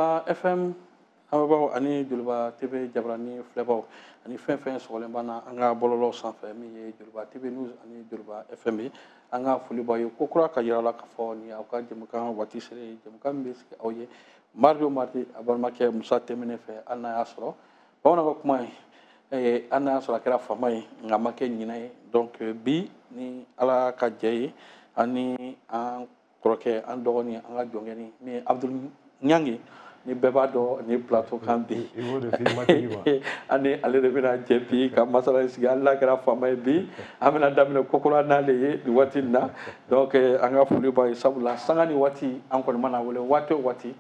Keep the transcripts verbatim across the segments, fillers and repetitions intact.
Joliba F M lamɛnbaaw ani Joliba T V jabarani filɛbaw ani fɛn fɛn sɔgɔlen b'an na an ka bɔlɔlɔ sanfɛ min ye Joliba T V News ani Joliba F M ye, an ka foli b'aw ye ko kura ka yira la k'a fɔ nin aw ka jɛmukan waati sera ye, jɛmukan min bɛ sigi aw ye mardi o mardi a balimakɛ Musa Tɛmɛnɛ fɛ. Hali n'a y'a sɔrɔ bamananw ka kuma ye, hali n'a y'a sɔrɔ a kɛra faama ye nka a ma kɛ ɲinɛ ye. Donc bi ni Ala ka jɛ ye, ani an kɔrɔkɛ, an dɔgɔnin, an ka jɔnkɛni min ye Abdul Ɲangi, ni bɛɛ b'a dɔn ni plateau kan bi, ani ale de bɛna jɛ bi ka masala sigi. Hali n'a kɛra faama ye bi, an bɛna daminɛ kokura n'ale ye nin waati in na. Donc an ka foli b'a ye, sabula sanga ni waati an kɔni mana wele waati o waati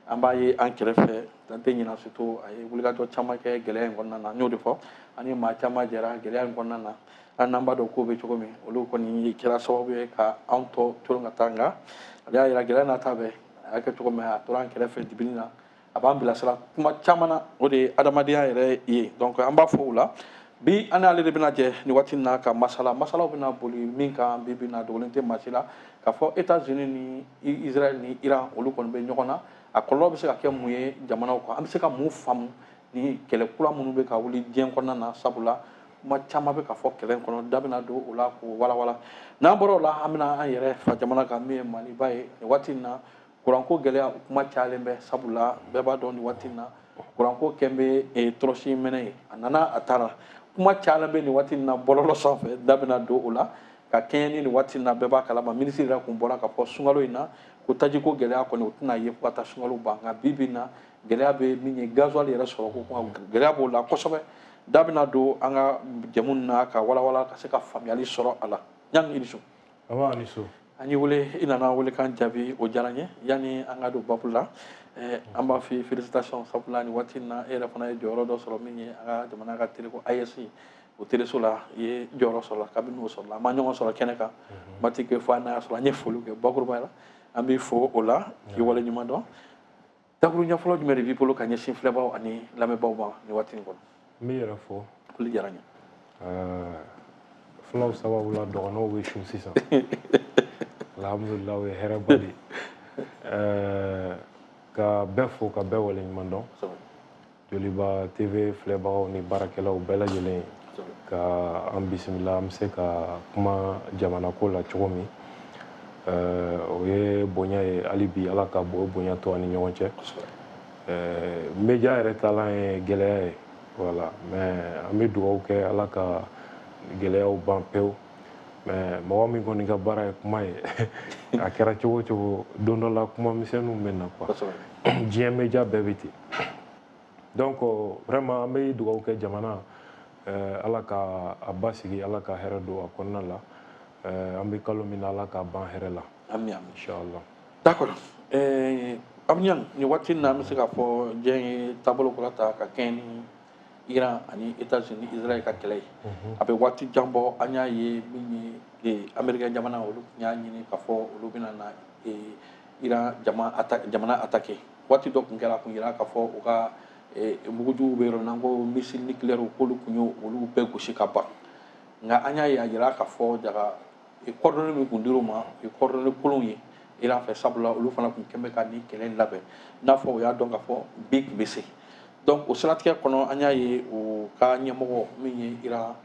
an b'a ye an kɛrɛfɛ, dan tɛ ɲina. Surtout a ye wulikajɔ caman kɛ gɛlɛya in kɔnɔna na, n y'o de fɔ, ani maa caman jɛra gɛlɛya in kɔnɔna na. Hali n'an b'a dɔn ko bɛ cogo min, olu kɔni kɛra sababu ye ka anw tɔ to ka taa, nka ale y'a yira gɛlɛya n'a ta bɛɛ a y'a kɛ cogo min, a tora an kɛrɛfɛ dibini na, a b'an bilasira kuma caman na, o de ye adamadenya yɛrɛ ye. Donc an b'a fɔ o la bi, an n'ale de bɛna jɛ nin waati in na ka masala. Masalaw bɛna boli min kan bi bi in na, dogolen tɛ maa si la k'a fɔ États-Unis ni Israël ni Iran olu kɔni bɛ ɲɔgɔn na. A kɔlɔlɔ bɛ se ka kɛ mun ye jamanaw kan, an bɛ se ka mun faamu ni kɛlɛ kura minnu bɛ ka wuli diɲɛ kɔnɔna na, sabula kuma caman bɛ ka fɔ kɛlɛ in kɔnɔ, da bɛna don o la k'o walawala. N'an bɔra o la, an bɛna an yɛrɛ fa jamana kan min ye Maliba ye. Nin waati in na kuranko gɛlɛya kuma cayalen bɛ, sabula bɛɛ b'a dɔn nin waati in na kuranko kɛn bɛ tɔrɔsi mɛnɛ ye, a nana a taara, kuma cayalen bɛ nin waati in na bɔlɔlɔ sanfɛ, da bɛna don o la ka kɛɲɛ ni nin waati in na. Bɛɛ b'a kalama, minisiri yɛrɛ kun bɔra ka fɔ sunkalo in na ko tajiko gɛlɛya kɔni o tɛna ye fo ka taa sunkalo ban, nka bi bi in na gɛlɛya bɛ min ye gasoil yɛrɛ sɔrɔ ko kuma gɛlɛya b'o la kosɛbɛ. Da bɛna don an ka jɛmu na ka walawala ka se ka faamuyali sɔrɔ a la. Ɲangi, i ni su. Aba, ni su. An y'i wele, i nana welekan jaabi, o diyara n ye. Yanni an ka don babu la, an b'a f'i ye félicitation, sabula nin waati in na e yɛrɛ fana ye jɔyɔrɔ dɔ sɔrɔ min ye an ka jamana ka télé ko A E S, o téléso la i ye jɔyɔrɔ sɔrɔ la. Kabini o sɔrɔla, an ma ɲɔgɔn sɔrɔ kɛnɛ kan, waati kɛ fo n'a y'a sɔrɔ an ye foli kɛ bakurubaya la, an b'i fo o la k'i wale ɲuman dɔn. Dakuru ɲɛ fɔlɔ jumɛn de b'i bolo ka ɲɛsin filɛbaw ani lamɛnbaaw ma nin waati in kɔnɔ? N b'i yɛrɛ fo. Foli diyara n ye. Fulaw sababu la dɔgɔnɔw bɛ sun sisan. Alhamdulillah, o ye hɛrɛba de ye. Ka bɛɛ fo ka bɛɛ waleɲuman dɔn. Joliba T V filɛbagaw ni baarakɛlaw bɛɛ lajɛlen ka an bisimila, an bɛ se ka kuma jamana ko la cogo min. O ye bonya ye, hali bi Ala ka bo bonya to an ni ɲɔgɔn cɛ. Média yɛrɛ taalan ye gɛlɛya ye, voilà, mais an bɛ dugawu kɛ Ala ka gɛlɛyaw ban pewu. Mais mɔgɔ min kɔni ka baara ye kuma ye, a kɛra cogo o cogo, don dɔ la kuma misɛnninw bɛ na quoi. Diɲɛ média bɛɛ bɛ ten. Donc vraiment an bɛ dugawu kɛ jamana, Ala ka a basigi, Ala ka hɛrɛ don a kɔnɔna la. An bɛ kalo min na, Ala k'a ban hɛrɛ la. Ami ami. Inchallah. D'accord. Abdou Niang, nin waati in na an bɛ se k'a fɔ diɲɛ ye taabolo kura ta ka kɛɲɛ ni Iran ani États-Unis Israël ka kɛlɛ ye. A bɛ waati jan bɔ, an y'a ye min ye Américain jamana olu tun y'a ɲini k'a fɔ olu bɛna na Iran jamana attaquer. Waati dɔ tun kɛra, a tun yira k'a fɔ u ka mugujuguw bɛ yɔrɔ min na, ko missile nucléaire k'olu tun y'o olu bɛɛ gosi ka ban. Nka an y'a ye a yira k'a fɔ jaga coordonnées min tun dir'u ma, o ye coordonnées kolonw ye Iran fɛ, sabula olu fana tun kɛn bɛ ka nin kɛlɛ in labɛn, i n'a fɔ u y'a dɔn k'a fɔ bi tun bɛ se. Donc o siratigɛ kɔnɔ, an y'a ye o ka ɲɛmɔgɔ min ye Iran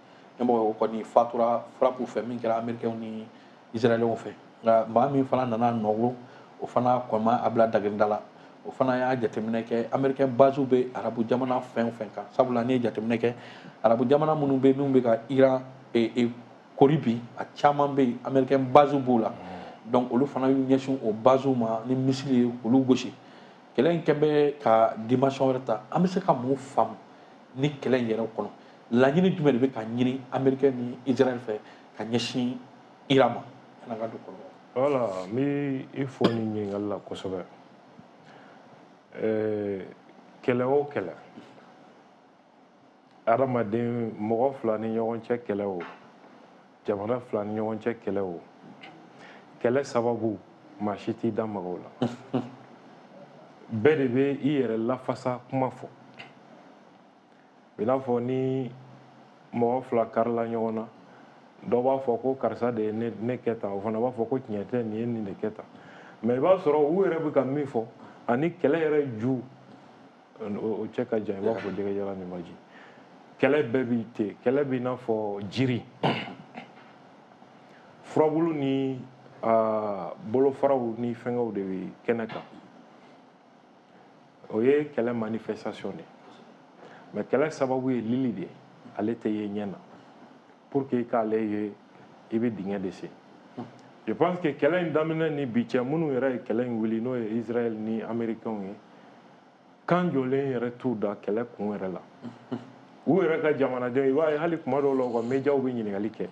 ɲɛmɔgɔ ye, o kɔni fatura frappe fɛ min kɛra Américains ni Israéliens fɛ. Nka maa min fana nana nɔgɔ, o fana kɔni ma a bila dagirinda la. O fana y'a jateminɛ kɛ Américain base bɛ arabu jamana fɛn o fɛn kan, sabula n'i ye jateminɛ kɛ arabu jamana minnu bɛ minnu bɛ ka Iran kori bi, a caman bɛ yen Américain base b'o la. Donc olu fana y'u ɲɛsin o base ma ni missile ye k'olu gosi. Kɛlɛ in kɛn bɛ ka dimension wɛrɛ ta. An bɛ se ka mun faamu ni kɛlɛ in yɛrɛ kɔnɔ? Laɲini jumɛn de bɛ ka ɲini Américain ni Israël fɛ ka ɲɛsin Iran ma? Yan'an ka don kɔlɔlɔ. Voilà, n bɛ i fo nin ɲininkali la kosɛbɛ. Kɛlɛ o kɛlɛ, adamaden mɔgɔ fila ni ɲɔgɔn cɛ kɛlɛ o, jamana fila ni ɲɔgɔn cɛ kɛlɛ o, kɛlɛ sababu maa si t'i da maga o la. Bɛɛ de bɛ i yɛrɛ lafasa kuma fɔ. I n'a fɔ ni mɔgɔ fila karila ɲɔgɔn na, dɔ b'a fɔ ko karisa de ye ne kɛ tan, o fana b'a fɔ ko tiɲɛ tɛ, nin ye nin de kɛ tan. Mais i b'a sɔrɔ u yɛrɛ bɛ ka min fɔ, Ani kɛlɛ yɛrɛ ju o cɛ ka jan, i b'a fɔ jɛgɛjalan ni baji. Kɛlɛ bɛɛ bi ten, kɛlɛ b'i n'a fɔ jiri, furabulu ni bolofaraw ni fɛngɛw de bɛ kɛnɛ kan. O ye kɛlɛ manifestation de ye, mais kɛlɛ sababu ye lili de ye, ale tɛ ye ɲɛ na. Pour que i k'ale ye, i bɛ dingɛ de sen. Je pense que kɛlɛ in daminɛ ni bi cɛ, minnu yɛrɛ ye kɛlɛ in wuli, n'o ye Israël ni Américains ye, kan jɔlen yɛrɛ t'u da kɛlɛ kun yɛrɛ la. U yɛrɛ ka jamanadenw, i b'a ye hali kuma dɔw la u ka médiaw bɛ ɲininkali kɛ,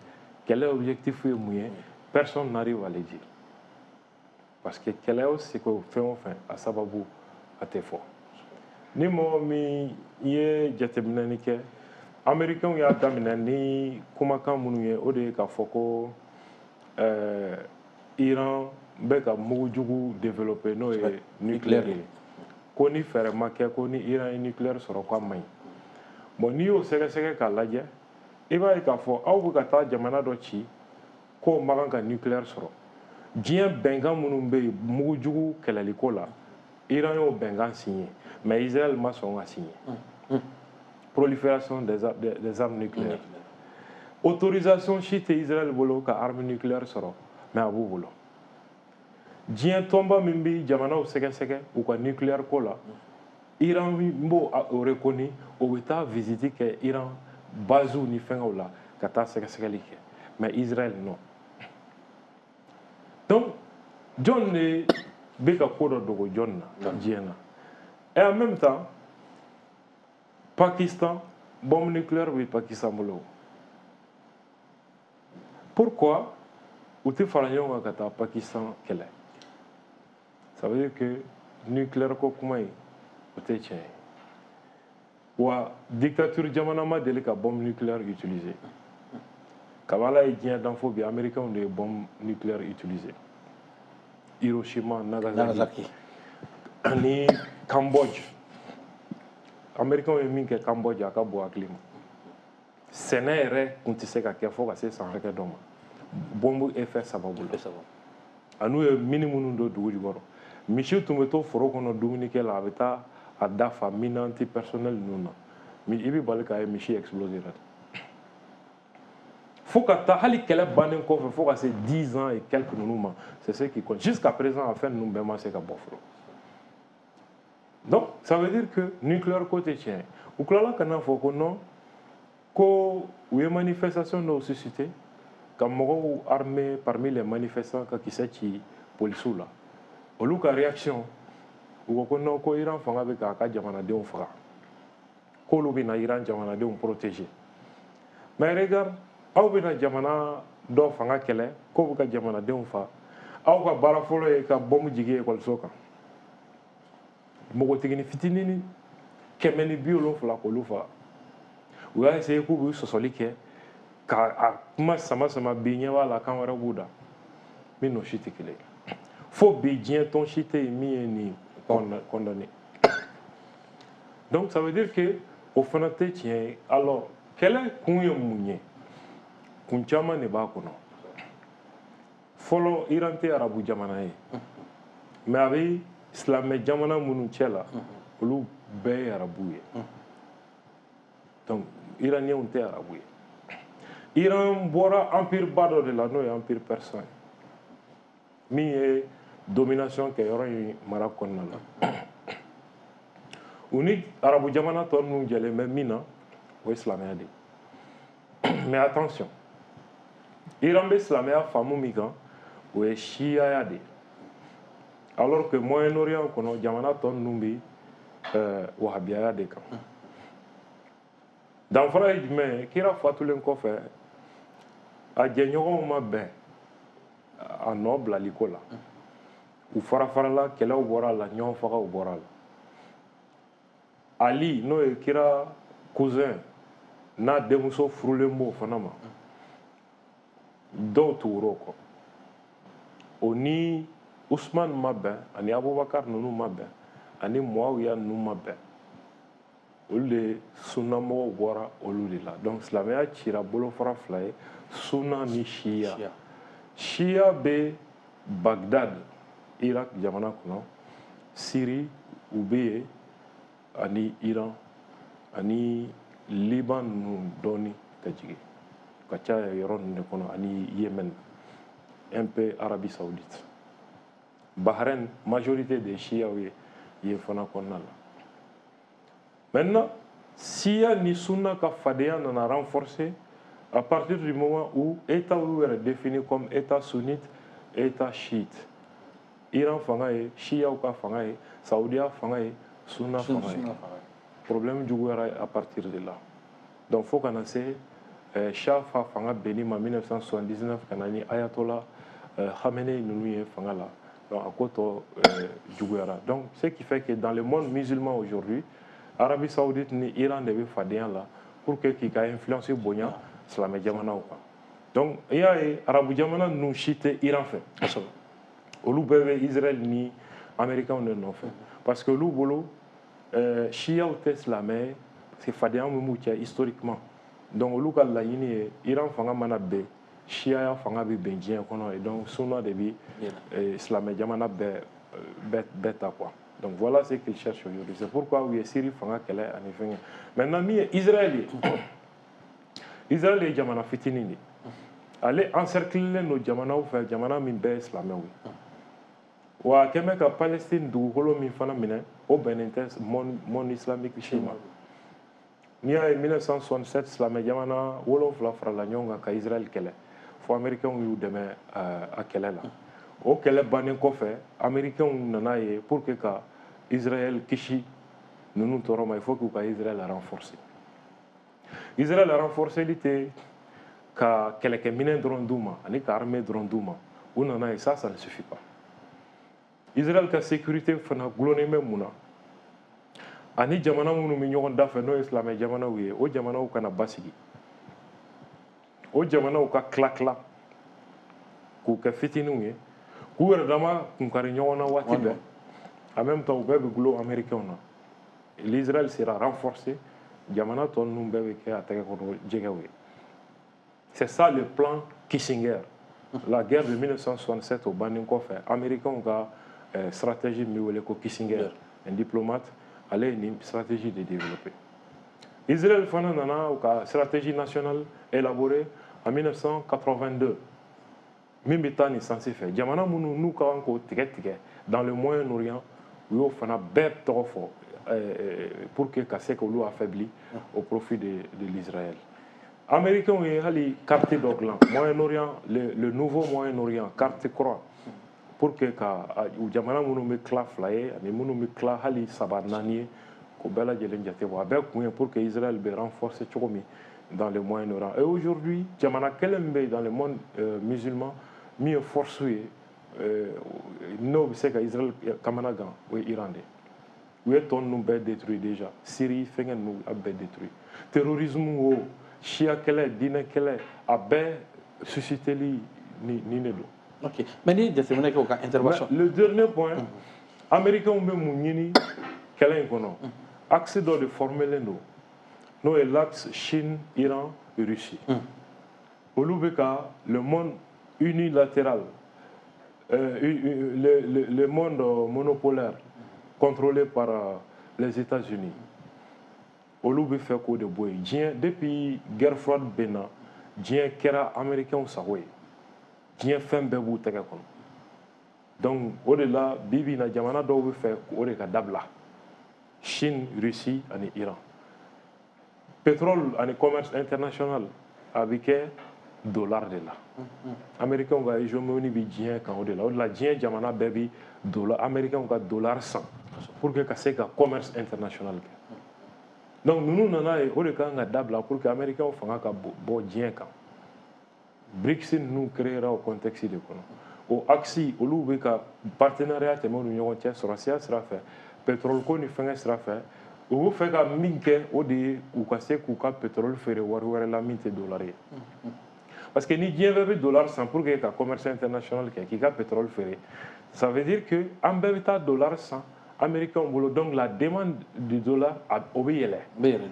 kɛlɛ objectif ye mun ye, personne n'arrive à le dire. Parce que kɛlɛ o seko fɛn o fɛn, a sababu a tɛ fɔ. Ni mɔgɔ min ye jateminɛli kɛ, Américains y'a daminɛ ni kumakan minnu ye, o de ye k'a fɔ ko euh, Iran bɛ ka mugujugu développer, n'o ye nucléaire ye, ko ni fɛɛrɛ ma kɛ, ko ni Iran ye nucléaire sɔrɔ, k'a man ɲi. Bon, n'i y'o sɛgɛsɛgɛ k'a lajɛ, i b'a ye k'a fɔ aw bɛ ka taa jamana dɔ ci k'o man kan ka nucléaire sɔrɔ. Diɲɛ bɛnkan minnu bɛ yen mugujugu kɛlɛliko la, Iran y'o bɛnkan signé, mais Israël ma sɔn ka signé. Prolifération des, des, des armes nucléaires, autorisation si tɛ Israël bolo ka arme nucléaire sɔrɔ, mais a b'u bolo. Diɲɛ tɔnba min bɛ jamanaw sɛgɛsɛgɛ u ka nucléaire ko la, Iran b'o reconnu, o bɛ taa visite kɛ Iran basew ni fɛngɛw la ka taa sɛgɛsɛgɛli kɛ, mais Israël non. Donc jɔn de bɛ ka ko dɔ dogo jɔn na diɲɛ na? Et en même temps, Pakistan, bombe nucléaire bɛ Pakistan bolo. Pourquoi u tɛ fara ɲɔgɔn kan ka taa Pakistan kɛlɛ? Ça veut dire que nucléaire ko kuma in, o tɛ tiɲɛ ye. Wa dictature jamana ma deli ka bombe nucléaire utiliser. Kabini Ala ye diɲɛ dan fo bi, Américains de ye bombe nucléaire utiliser, Hiroshima, Nagasaki, Nagasaki. Ani Cambodge. Américains ye min kɛ Cambodge, a ka bon hakili ma. Sɛnɛ yɛrɛ tun tɛ se ka kɛ fo ka se san hakɛ dɔ ma, bombe effet sababu la. A n'u ye mine minnu don dugu jukɔrɔ, misi tun bɛ to foro kɔnɔ dumunikɛ la, a bɛ taa a dafa mine antipersonnel ninnu na, i bɛ bali k'a ye misi exploser la. Fo ka taa hali kɛlɛ bannen kɔfɛ, fo ka se dix ans et quelques ninnu ma, c'est ce qui compte jusqu'à présent, a fɛn ninnu bɛɛ ma se ka bɔ fɔlɔ. Donc ça veut dire que nucléaire ko tɛ tiɲɛ ye. U tilala ka na fɔ ko non, ko u ye manifestation dɔw suscité ka mɔgɔw armé parmi les manifestants ka kisɛ ci polisiw la. Olu ka réaction, u ko ko non, ko Iran fanga bɛ k'a ka jamanadenw faga, k'olu bɛna Iran jamanadenw protéger. Mais regarde, aw bɛna jamana dɔ fanga kɛlɛ k'o bɛ ka jamanadenw fa, aw ka baara fɔlɔ ye ka bombe jigin ekɔliso kan, npogotiginin fitinin kɛmɛ ni bi wolonfila k'olu faga. U y'a essayé k'u b'u sɔsɔli kɛ ka a kuma sama sama, bi ɲɛ b'a la kan wɛrɛ b'u da min n'o si tɛ kelen ye. Fo bi diɲɛ tɔn si tɛ yen min ye nin condamné. Donc ça veut dire que o fana tɛ tiɲɛ ye. Alors kɛlɛ kun ye mun ye? Kun caman de b'a kɔnɔ. Fɔlɔ, Iran tɛ arabu jamana ye, mais a bɛ silamɛ jamana minnu cɛ la, olu bɛɛ ye arabu ye. Donc Iraniens tɛ arabu ye. Iran bɔra empire ba dɔ de la, n'o ye empire persan ye, min ye domination kɛ yɔrɔ in mara kɔnɔna la. U ni arabu jamana tɔ ninnu jɛlen bɛ min na, o ye silamɛya de ye. Mais attention, Iran bɛ silamɛya faamu min kan, o ye siyaya de ye, alors que Moyen-Orient kɔnɔ, jamana tɔ ninnu bɛ euh, wahabiyaya de kan. Danfara ye jumɛn ye? Kira fatulen kɔfɛ, a jɛɲɔgɔnw ma bɛn a nɔ bilaliko la, u fara farala, kɛlɛw bɔra a la, ɲɔgɔn fagaw bɔra a la. Ali, n'o ye kira cousin n'a denmuso furulen b'o fana ma, dɔw tugura o kɔ. O ni Usman ma bɛn, ani Abubakar ninnu ma bɛn, ani Muawiya ninnu ma bɛn. Olu de sunnamɔgɔw bɔra olu de la. Donc silamɛya cira bolofara fila ye, sunna ni siya. Siya bɛ Bagdad, Irak jamana kɔnɔ. Syrie u bɛ yen, ani Iran ani Liban ninnu dɔɔni ka jigin ka caya yɔrɔ ninnu de kɔnɔ, ani Yémen, un peu Arabie Saoudite. Bahreïn, majorité des chiites ye yen fana kɔnɔna la. Maintenant, Shia ni Sunna ka fadenya nana renforcer à partir du moment où État y'u yɛrɛ défini comme État sunnite, État chiite. Iran fanga ye Shiaw ka fanga ye, Saudiya fanga ye Sunna fanga ye. Problème juguyara à partir de là. Donc fo ka na se euh, Shah fa fanga benni ma mille neuf cent soixante-dix-neuf, ka na ni Ayatollah euh, Khamenei ninnu ye fanga la. Donc a ko tɔ euh, juguyara. Donc ce qui fait que dans le monde musulman aujourd'hui, Arabie Saoudite ni Iran de bɛ fadenya la pour que k'i ka influence bonya silamɛ jamanaw kan. Donc i y'a ye, arabu jamana ninnu si tɛ Iran fɛ, olu bɛɛ bɛ Israël ni Américains de nɔfɛ, parce que olu bolo euh, Shiaw tɛ silamɛ ye, parce que fadenya min b'u cɛ historiquement. Donc olu ka laɲini ye, Iran fanga mana ben, Shiaya fanga bɛ ben diɲɛ kɔnɔ, et donc Sunna de bi euh, silamɛ jamana bɛɛ bɛɛ bɛɛ ta quoi. Donc voilà ce qu'ils cherchent aujourd'hui. C'est pourquoi u ye Syrie fanga kɛlɛ ani fɛngɛ. Maintenant, min ye Israël ye, Israël ye jamana fitinin de ye. Ale encerclelen don jamanaw fɛ, jamana min bɛɛ ye silamɛw ye. Wa a kɛn bɛ ka Palestine dugukolo min fana minɛ, o bɛnnen tɛ monde monde islamique si ma. N'i y'a ye, mille neuf cent soixante-sept, silamɛ jamana wolonfila farala ɲɔgɔn kan ka Israël kɛlɛ, fo Américains y'u dɛmɛ a kɛlɛ la. O kɛlɛ bannen kɔfɛ, Américains nana ye, pour que ka Israël kisi ninnu tɔɔrɔ ma, il faut k'u ka Israël renforcer. Israël renforceli tɛ ka kɛlɛkɛminɛn dɔrɔn d'u ma ani ka armée dɔrɔn d'u ma. U nana ye, ça ça ne suffit pas. Israël ka sécurité fana gulonnen bɛ mun na? Ani jamana minnu bɛ ɲɔgɔn da fɛ, n'o ye silamɛ jamanaw ye, o jamanaw kana basigi, o jamanaw ka tila tila k'u kɛ fitininw ye, k'u yɛrɛ dama kunkari ɲɔgɔn na waati bɛɛ. En même temps, u bɛɛ bɛ gulon Américains na. L'Israël sera renforcé, jamana tɔ ninnu bɛɛ bɛ kɛ a tɛgɛ kɔnɔ jɛgɛw ye. C'est ça le plan Kissinger. La guerre de mille neuf cent soixante-sept, o bannen kɔfɛ, Américains ka euh, stratégie min bɛ wele ko Kissinger, un diplomate, ale ye nin stratégie de développer. Israël fana nana u ka stratégie nationale élaborée en mille neuf cent quatre-vingt-deux, min bɛ taa nin sens fɛ. Jamana minnu n'u ka kan k'o tigɛ tigɛ dans le Moyen-Orient, u y'o fana bɛɛ tɔgɔ fɔ euh, pour que ka se k'olu affaibli au profit de, de l'Israël. Américains ye hali carte dɔ dilan, Moyen-Orient, le, le nouveau Moyen-Orient, carte kura, pour que ka u jamana minnu bɛ tila fila ye ani minnu bɛ tila hali saba, naani ye, k'o bɛɛ lajɛlen jate bɔ. A bɛɛ kun ye pour que Israël bɛ renforcer cogo min dans le Moyen-Orient. Et aujourd'hui, jamana kelen min bɛ yen dans le monde euh, musulman min ye force ye, euh, n'o bɛ se ka Israël kamana gan, o ye Iran de ye. U ye tɔ ninnu bɛɛ détruit déjà, Syrie fɛngɛ ninnu a bɛɛ détruit. Terrorisme o, siya kɛlɛ, diinɛ kɛlɛ, a bɛɛ susciteli ni nin de don. Ok, mais ni jateminɛ kɛ u ka intervention. Mais le dernier point, mm -hmm. Américains bɛ mun ɲini kɛlɛ in kɔnɔ? Axe dɔ de formelen don, n'o ye l'axe Chine, Iran, Russie. mm. Olu bɛ ka le monde unilatéral, euh, le, le, le monde monopolaire contrôlé par euh, les États-Unis, olu bɛ fɛ k'o de bɔ yen. Diɲɛ, depuis guerre froide bɛ na, diɲɛ kɛra Américains sago ye, diɲɛ fɛn bɛɛ b'u tɛgɛ kɔnɔ. Donc o de la, bi bi in na, jamana dɔw bɛ fɛ o de ka dabila: Chine, Russie ani Iran. Pétrole ani commerce international a bɛ kɛ dollar de la. Américains ka hégémonie bɛ diɲɛ kan o de la. O de la, diɲɛ jamana bɛɛ bi dollar, Américains ka dollar san pour que ka se ka commerce international kɛ. Donc ninnu nana ye, o de kan ka dabila pour que Américains fanga ka bɔ diɲɛ kan. BRICS ninnu créera o contexte de kɔnɔ. O axe, olu bɛ ka partenariat tɛmɛ u ni ɲɔgɔn cɛ sɔrɔsiya sira fɛ, pétrole ko ni fɛngɛ sira fɛ. U bɛ fɛ ka min kɛ, o de ye u ka se k'u ka pétrole feere wari wɛrɛ la min tɛ dollar ye, parce que ni diɲɛ bɛɛ bɛ dollar san pour que ka commerce international kɛ, k'i ka pétrole feere, ça veut dire que an bɛɛ bɛ taa dollar san Américains bolo. Donc la demande du dollar, o bɛ yɛlɛ. Bɛ yɛlɛ.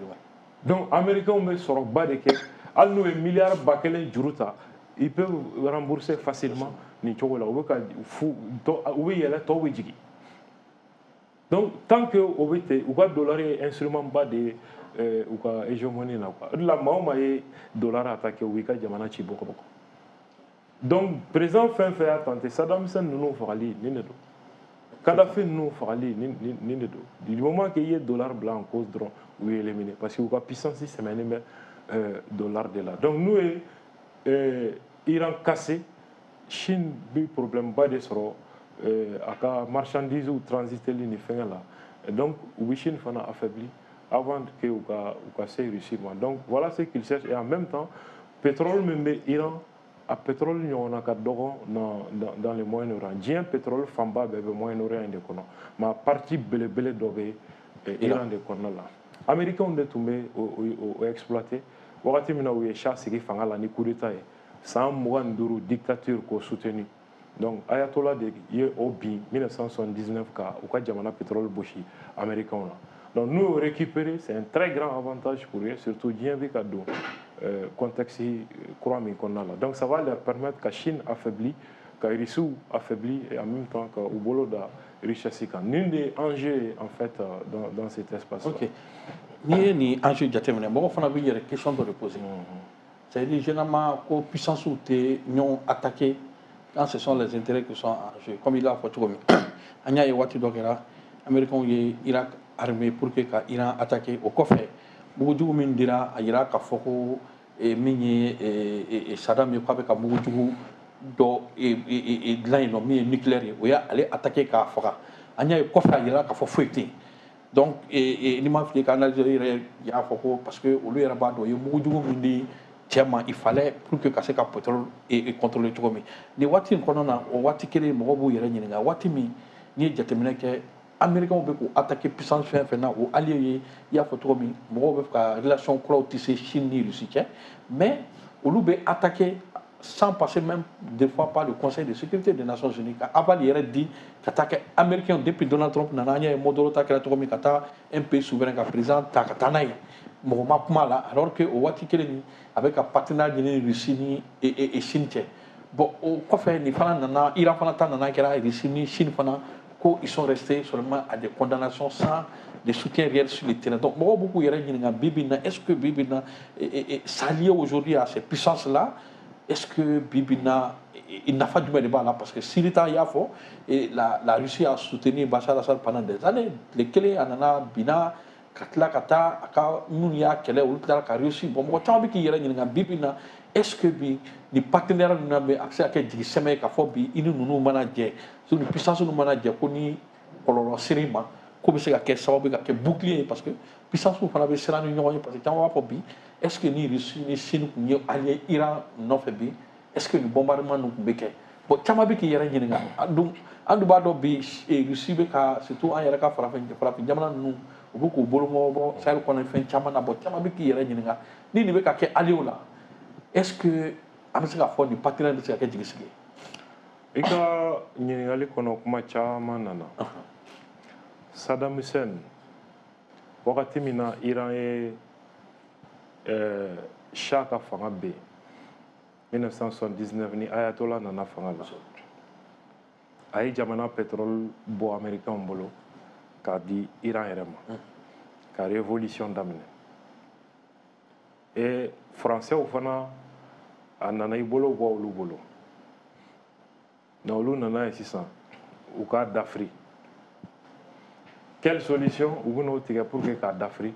Donc Américains bɛ sɔrɔba de kɛ. Hali n'u ye miliyari ba kelen juru ta, ils peuvent rembourser facilement nin cogo la. U bɛ ka fu, u bɛ yɛlɛ, tɔw bɛ jigin. Donc tant que o bɛ ten, u ka dollar ye instrument ba de ye u ka hégémonie na quoi. O de la maa o maa ye dollar attaqué, u b'i ka jamana ci bɔgɔ bɔgɔ. Donc président fɛn fɛn y'a tenté, Saddam Hussein ninnu fagali nin de don, Kadhafi ninnu fagali nin nin de don. Du moment que i ye dollar bila en cause dɔrɔn, u ye éliminé, parce que u ka puissance sɛmɛnen bɛ dollar de la. Donc n'u ye Iran cassé, Chine bi problème ba de sɔrɔ a ka marchandise transiteli ni fɛngɛ la. Donc u bɛ Chine fana affaibli avant que u ka u ka se Russie ma. Donc voilà ce qu'ils cherchent. Et en même temps, pétrole min bɛ Iran, a pétrole ɲɔgɔnna ka dɔgɔ dans dans dans le Moyen-Orient. Diɲɛ pétrole fanba bɛɛ bɛ Moyen-Orient de kɔnɔ, mais a partie belebele dɔ bɛ Iran de kɔnɔna la. Américains de tun bɛ o o exploiter. Wagati min na u ye Shah sigi fanga la ni coup d'état ye, san mugan ni duuru dictature k'o soutenu. Donc Ayatollah de ye o bin mille neuf cent soixante-dix-neuf ka u ka jamana pétrole bosi américains na. Donc n'u y'o récupéré, c'est un très grand avantage pour eux, surtout diɲɛ bɛ ka don euh, contexte kura min kɔnɔna la. Donc ça va leur permettre ka Chine affaibli, ka Russie affaibli et en même temps ka u bolo da richesse kan. Nin de ye enjeu en fait dans, dans cet espace là. Ok, n'i ye nin enjeu jateminɛ, mɔgɔ fana b'i yɛrɛ question dɔ de poser, c'est à dire généralement ko puissance tɛ ɲɔgɔn attaquer quand ce sont les intérêts qui sont en jeu. Comme il a fɔ cogo min, an y'a ye waati dɔ kɛra, américains ye Irak armé pour que ka Iran attaquer. O kɔfɛ, mugujugu min dira, a yira k'a fɔ ko min ye Saddam ye, k'a bɛ ka mugujugu dɔ dilan yen nɔ min ye nucléaire ye, o y'ale attaquer k'a faga. An y'a ye kɔfɛ, a yira k'a fɔ foyi tɛ yen. Donc n'i ma fili ka analyse yɛrɛ y'a fɔ ko parce que olu yɛrɛ b'a dɔn o ye mugujugu min di cɛ ma, il fallait pour que ka se ka pétrole contrôler cogo min. Nin waati in kɔnɔna na, o waati kelen, mɔgɔw b'u yɛrɛ ɲininka, waati min n'i ye jateminɛ kɛ, américains bɛ k'u attaquer puissance fɛn fɛn na, o allié ye, i y'a fɔ cogo min, mɔgɔw bɛ fɛ ka relation kuraw tisser Chine ni Russie cɛ, mais olu bɛ attaquer sans passer même des fois par le Conseil de sécurité des Nations Unies ka aval yɛrɛ di ka taa kɛ américain. Depuis Donald Trump nana, an y'a ye Maduro ta kɛra cogo min, ka taa un pays souverain ka président ta ka taa n'a ye, mɔgɔ ma kuma la, alors que o waati kelen ni a bɛ ka partenariat ɲini Russie ni et Chine cɛ. Bon, o kɔfɛ, nin fana nana, Iran fana ta nana kɛra Russie ni Chine fana ko ils sont restés seulement à des condamnations sans de soutien réel sur le terrain. Donc mɔgɔw b'u k'u yɛrɛ ɲininka bi bi in na, est-ce que bi bi in na, s'allier aujourd'hui à ces puissances là, est-ce que bi bi in na, nafa jumɛn de b'a la? Parce que Syrie ta y'a fɔ, la, la Russie a soutenu Bachar al-Assad pendant des années. Tile kelen a nana binna ka tila ka taa a ka minnu y'a kɛlɛ, olu tilara ka réussir. Bon, mɔgɔ caman bɛ k'i yɛrɛ ɲininka bi bi in na, est-ce que bi ni partenaire ninnu bɛ, a bɛ se ka kɛ jigi sɛmɛ ye k'a fɔ bi i ni ninnu mana jɛ, ni puissance ninnu mana jɛ, ko ni kɔlɔlɔ ser'i ma, ko bɛ se ka kɛ sababu ye ka kɛ bouclier ye? Parce que puissance fana bɛ siran ni ɲɔgɔn ye, parce que caman b'a fɔ bi, est-ce que ni Russie ni Chine tun ye allié Iran nɔfɛ bi, est-ce que ni bombardement ninnu tun bɛ kɛ? Bon, caman bɛ k'i yɛrɛ ɲininka. Donc an dun b'a dɔn bi, Russie bɛ ka, surtout an yɛrɛ ka farafin farafin jamana ninnu, u bɛ k'u bolo bɔ Sahel kɔnɔ fɛn caman na. Bon, caman bɛ k'i yɛrɛ ɲininka ni nin bɛ ka kɛ allié la, est-ce que an bɛ se k'a fɔ nin partenaire bɛ se ka kɛ jigisigi ye? I ka ɲininkali kɔnɔ, kuma caman nana. Saddam Hussein, wagati min na Iran ye euh, Shah ka fanga ben mille neuf cent soixante-dix-neuf, ni Ayatollah nana fanga la, a ye jamana pétrole bɔ américain bolo k'a di Iran yɛrɛ ma ka révolution daminɛ. Et français fana, a nana i bolo bɔ olu bolo. Donc olu nana ye sisan u k'a dafiri. Quelle solution u bɛn'o tigɛ pour que k'a dafiri?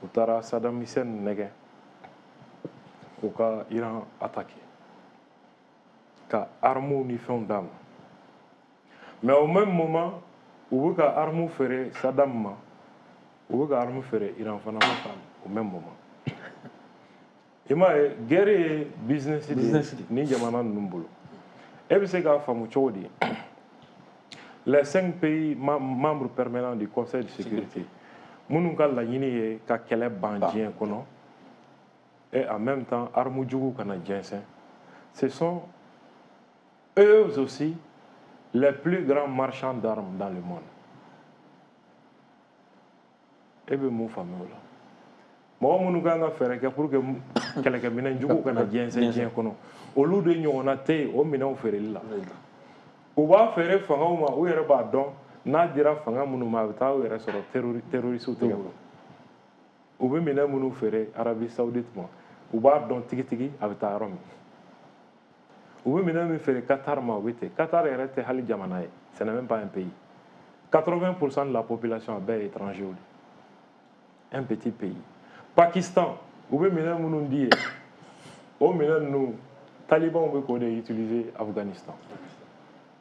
U taara Saddam Hussein nɛgɛ k'u ka Iran attaquer, ka armes ni fɛnw d'a ma. Mais au même moment, u bɛ ka armes feere Saddam ma, u bɛ ka armes feere Iran fana ma au même moment. I m'a ye, guerre ye business de ye ni jamana ninnu bolo. E bɛ se k'a faamu cogo di? Les cinq pays membres permanents du Conseil de sécurité, minnu ka laɲini ye ka kɛlɛ ban diɲɛ kɔnɔ et en même temps armes jugu kana jɛnsɛn, ce sont eux aussi les plus grands marchands d'armes dans le monde. E bɛ mun faamu o la? Mɔgɔ minnu kan ka fɛɛrɛ kɛ pour que kɛlɛkɛminɛn jugu kana jɛnsɛn diɲɛ kɔnɔ, olu de ɲɔgɔnna tɛ yen o minɛnw feereli la. U b'a feere fangaw ma, u yɛrɛ b'a dɔn. N'a dira fanga minnu ma, a bɛ taa u yɛrɛ sɔrɔ terroriste tɛgɛ kɔnɔ. U bɛ minɛn minnu feere Arabie Saoudite ma, u b'a dɔn tigitigi a bɛ taa yɔrɔ min. U bɛ minɛn min feere Qatar ma, u bɛ ten. Qatar yɛrɛ tɛ hali jamana ye, ce n'est même pas un pays. quatre-vingts pour cent de la population a bɛɛ ye étranger de. Un petit pays. Pakistan, u bɛ minɛn minnu di yen, o minɛn ninnu, talibanw bɛ k'o de utiliser Afghanistan.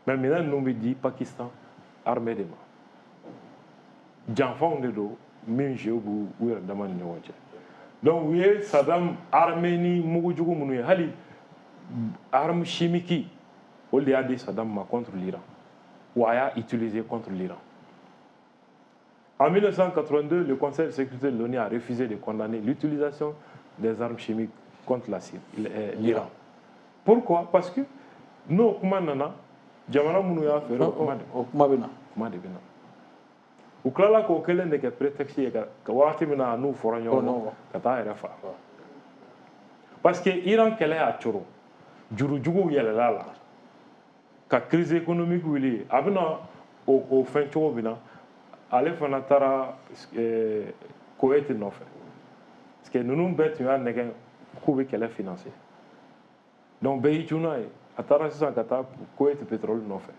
Mais minɛn ninnu bɛ di Pakistan armée de ma. Janfanw de don min jeu b'u u yɛrɛ dama ni ɲɔgɔn cɛ. Donc u ye Saddam armée ni mugujugu minnu ye, hali arme chimique, olu de y'a di Saddam ma contre l'Iran. Ou a y'a utilisé contre l'Iran. En mille neuf cent quatre-vingt-deux, le Conseil de sécurité de l'ONU a refusé de condamner l'utilisation des armes chimiques contre la Syrie, l'Iran. Pourquoi? Parce que n'o kuma nana, jamana minnu y'a feere, o kuma de O kuma bɛ na. Kuma de bɛ na. U tilala k'o kelen de kɛ prétexte ye ka wagati min na n'u fɔra ɲɔgɔn kɔ ka taa yɛrɛ faga. Parce que Iran kɛlɛ y'a coro, jurujuguw yɛlɛla la ka crise économique wuli. A bɛna o o fɛn cogo min na, ale fana taara Koweït nɔfɛ, parce que ninnu bɛɛ tun y'a nɛgɛn k'u bɛ kɛlɛ financer. Donc bɛɛ y'i cun n'a ye. A taara sisan ka taa Koweït pétrole nɔfɛ.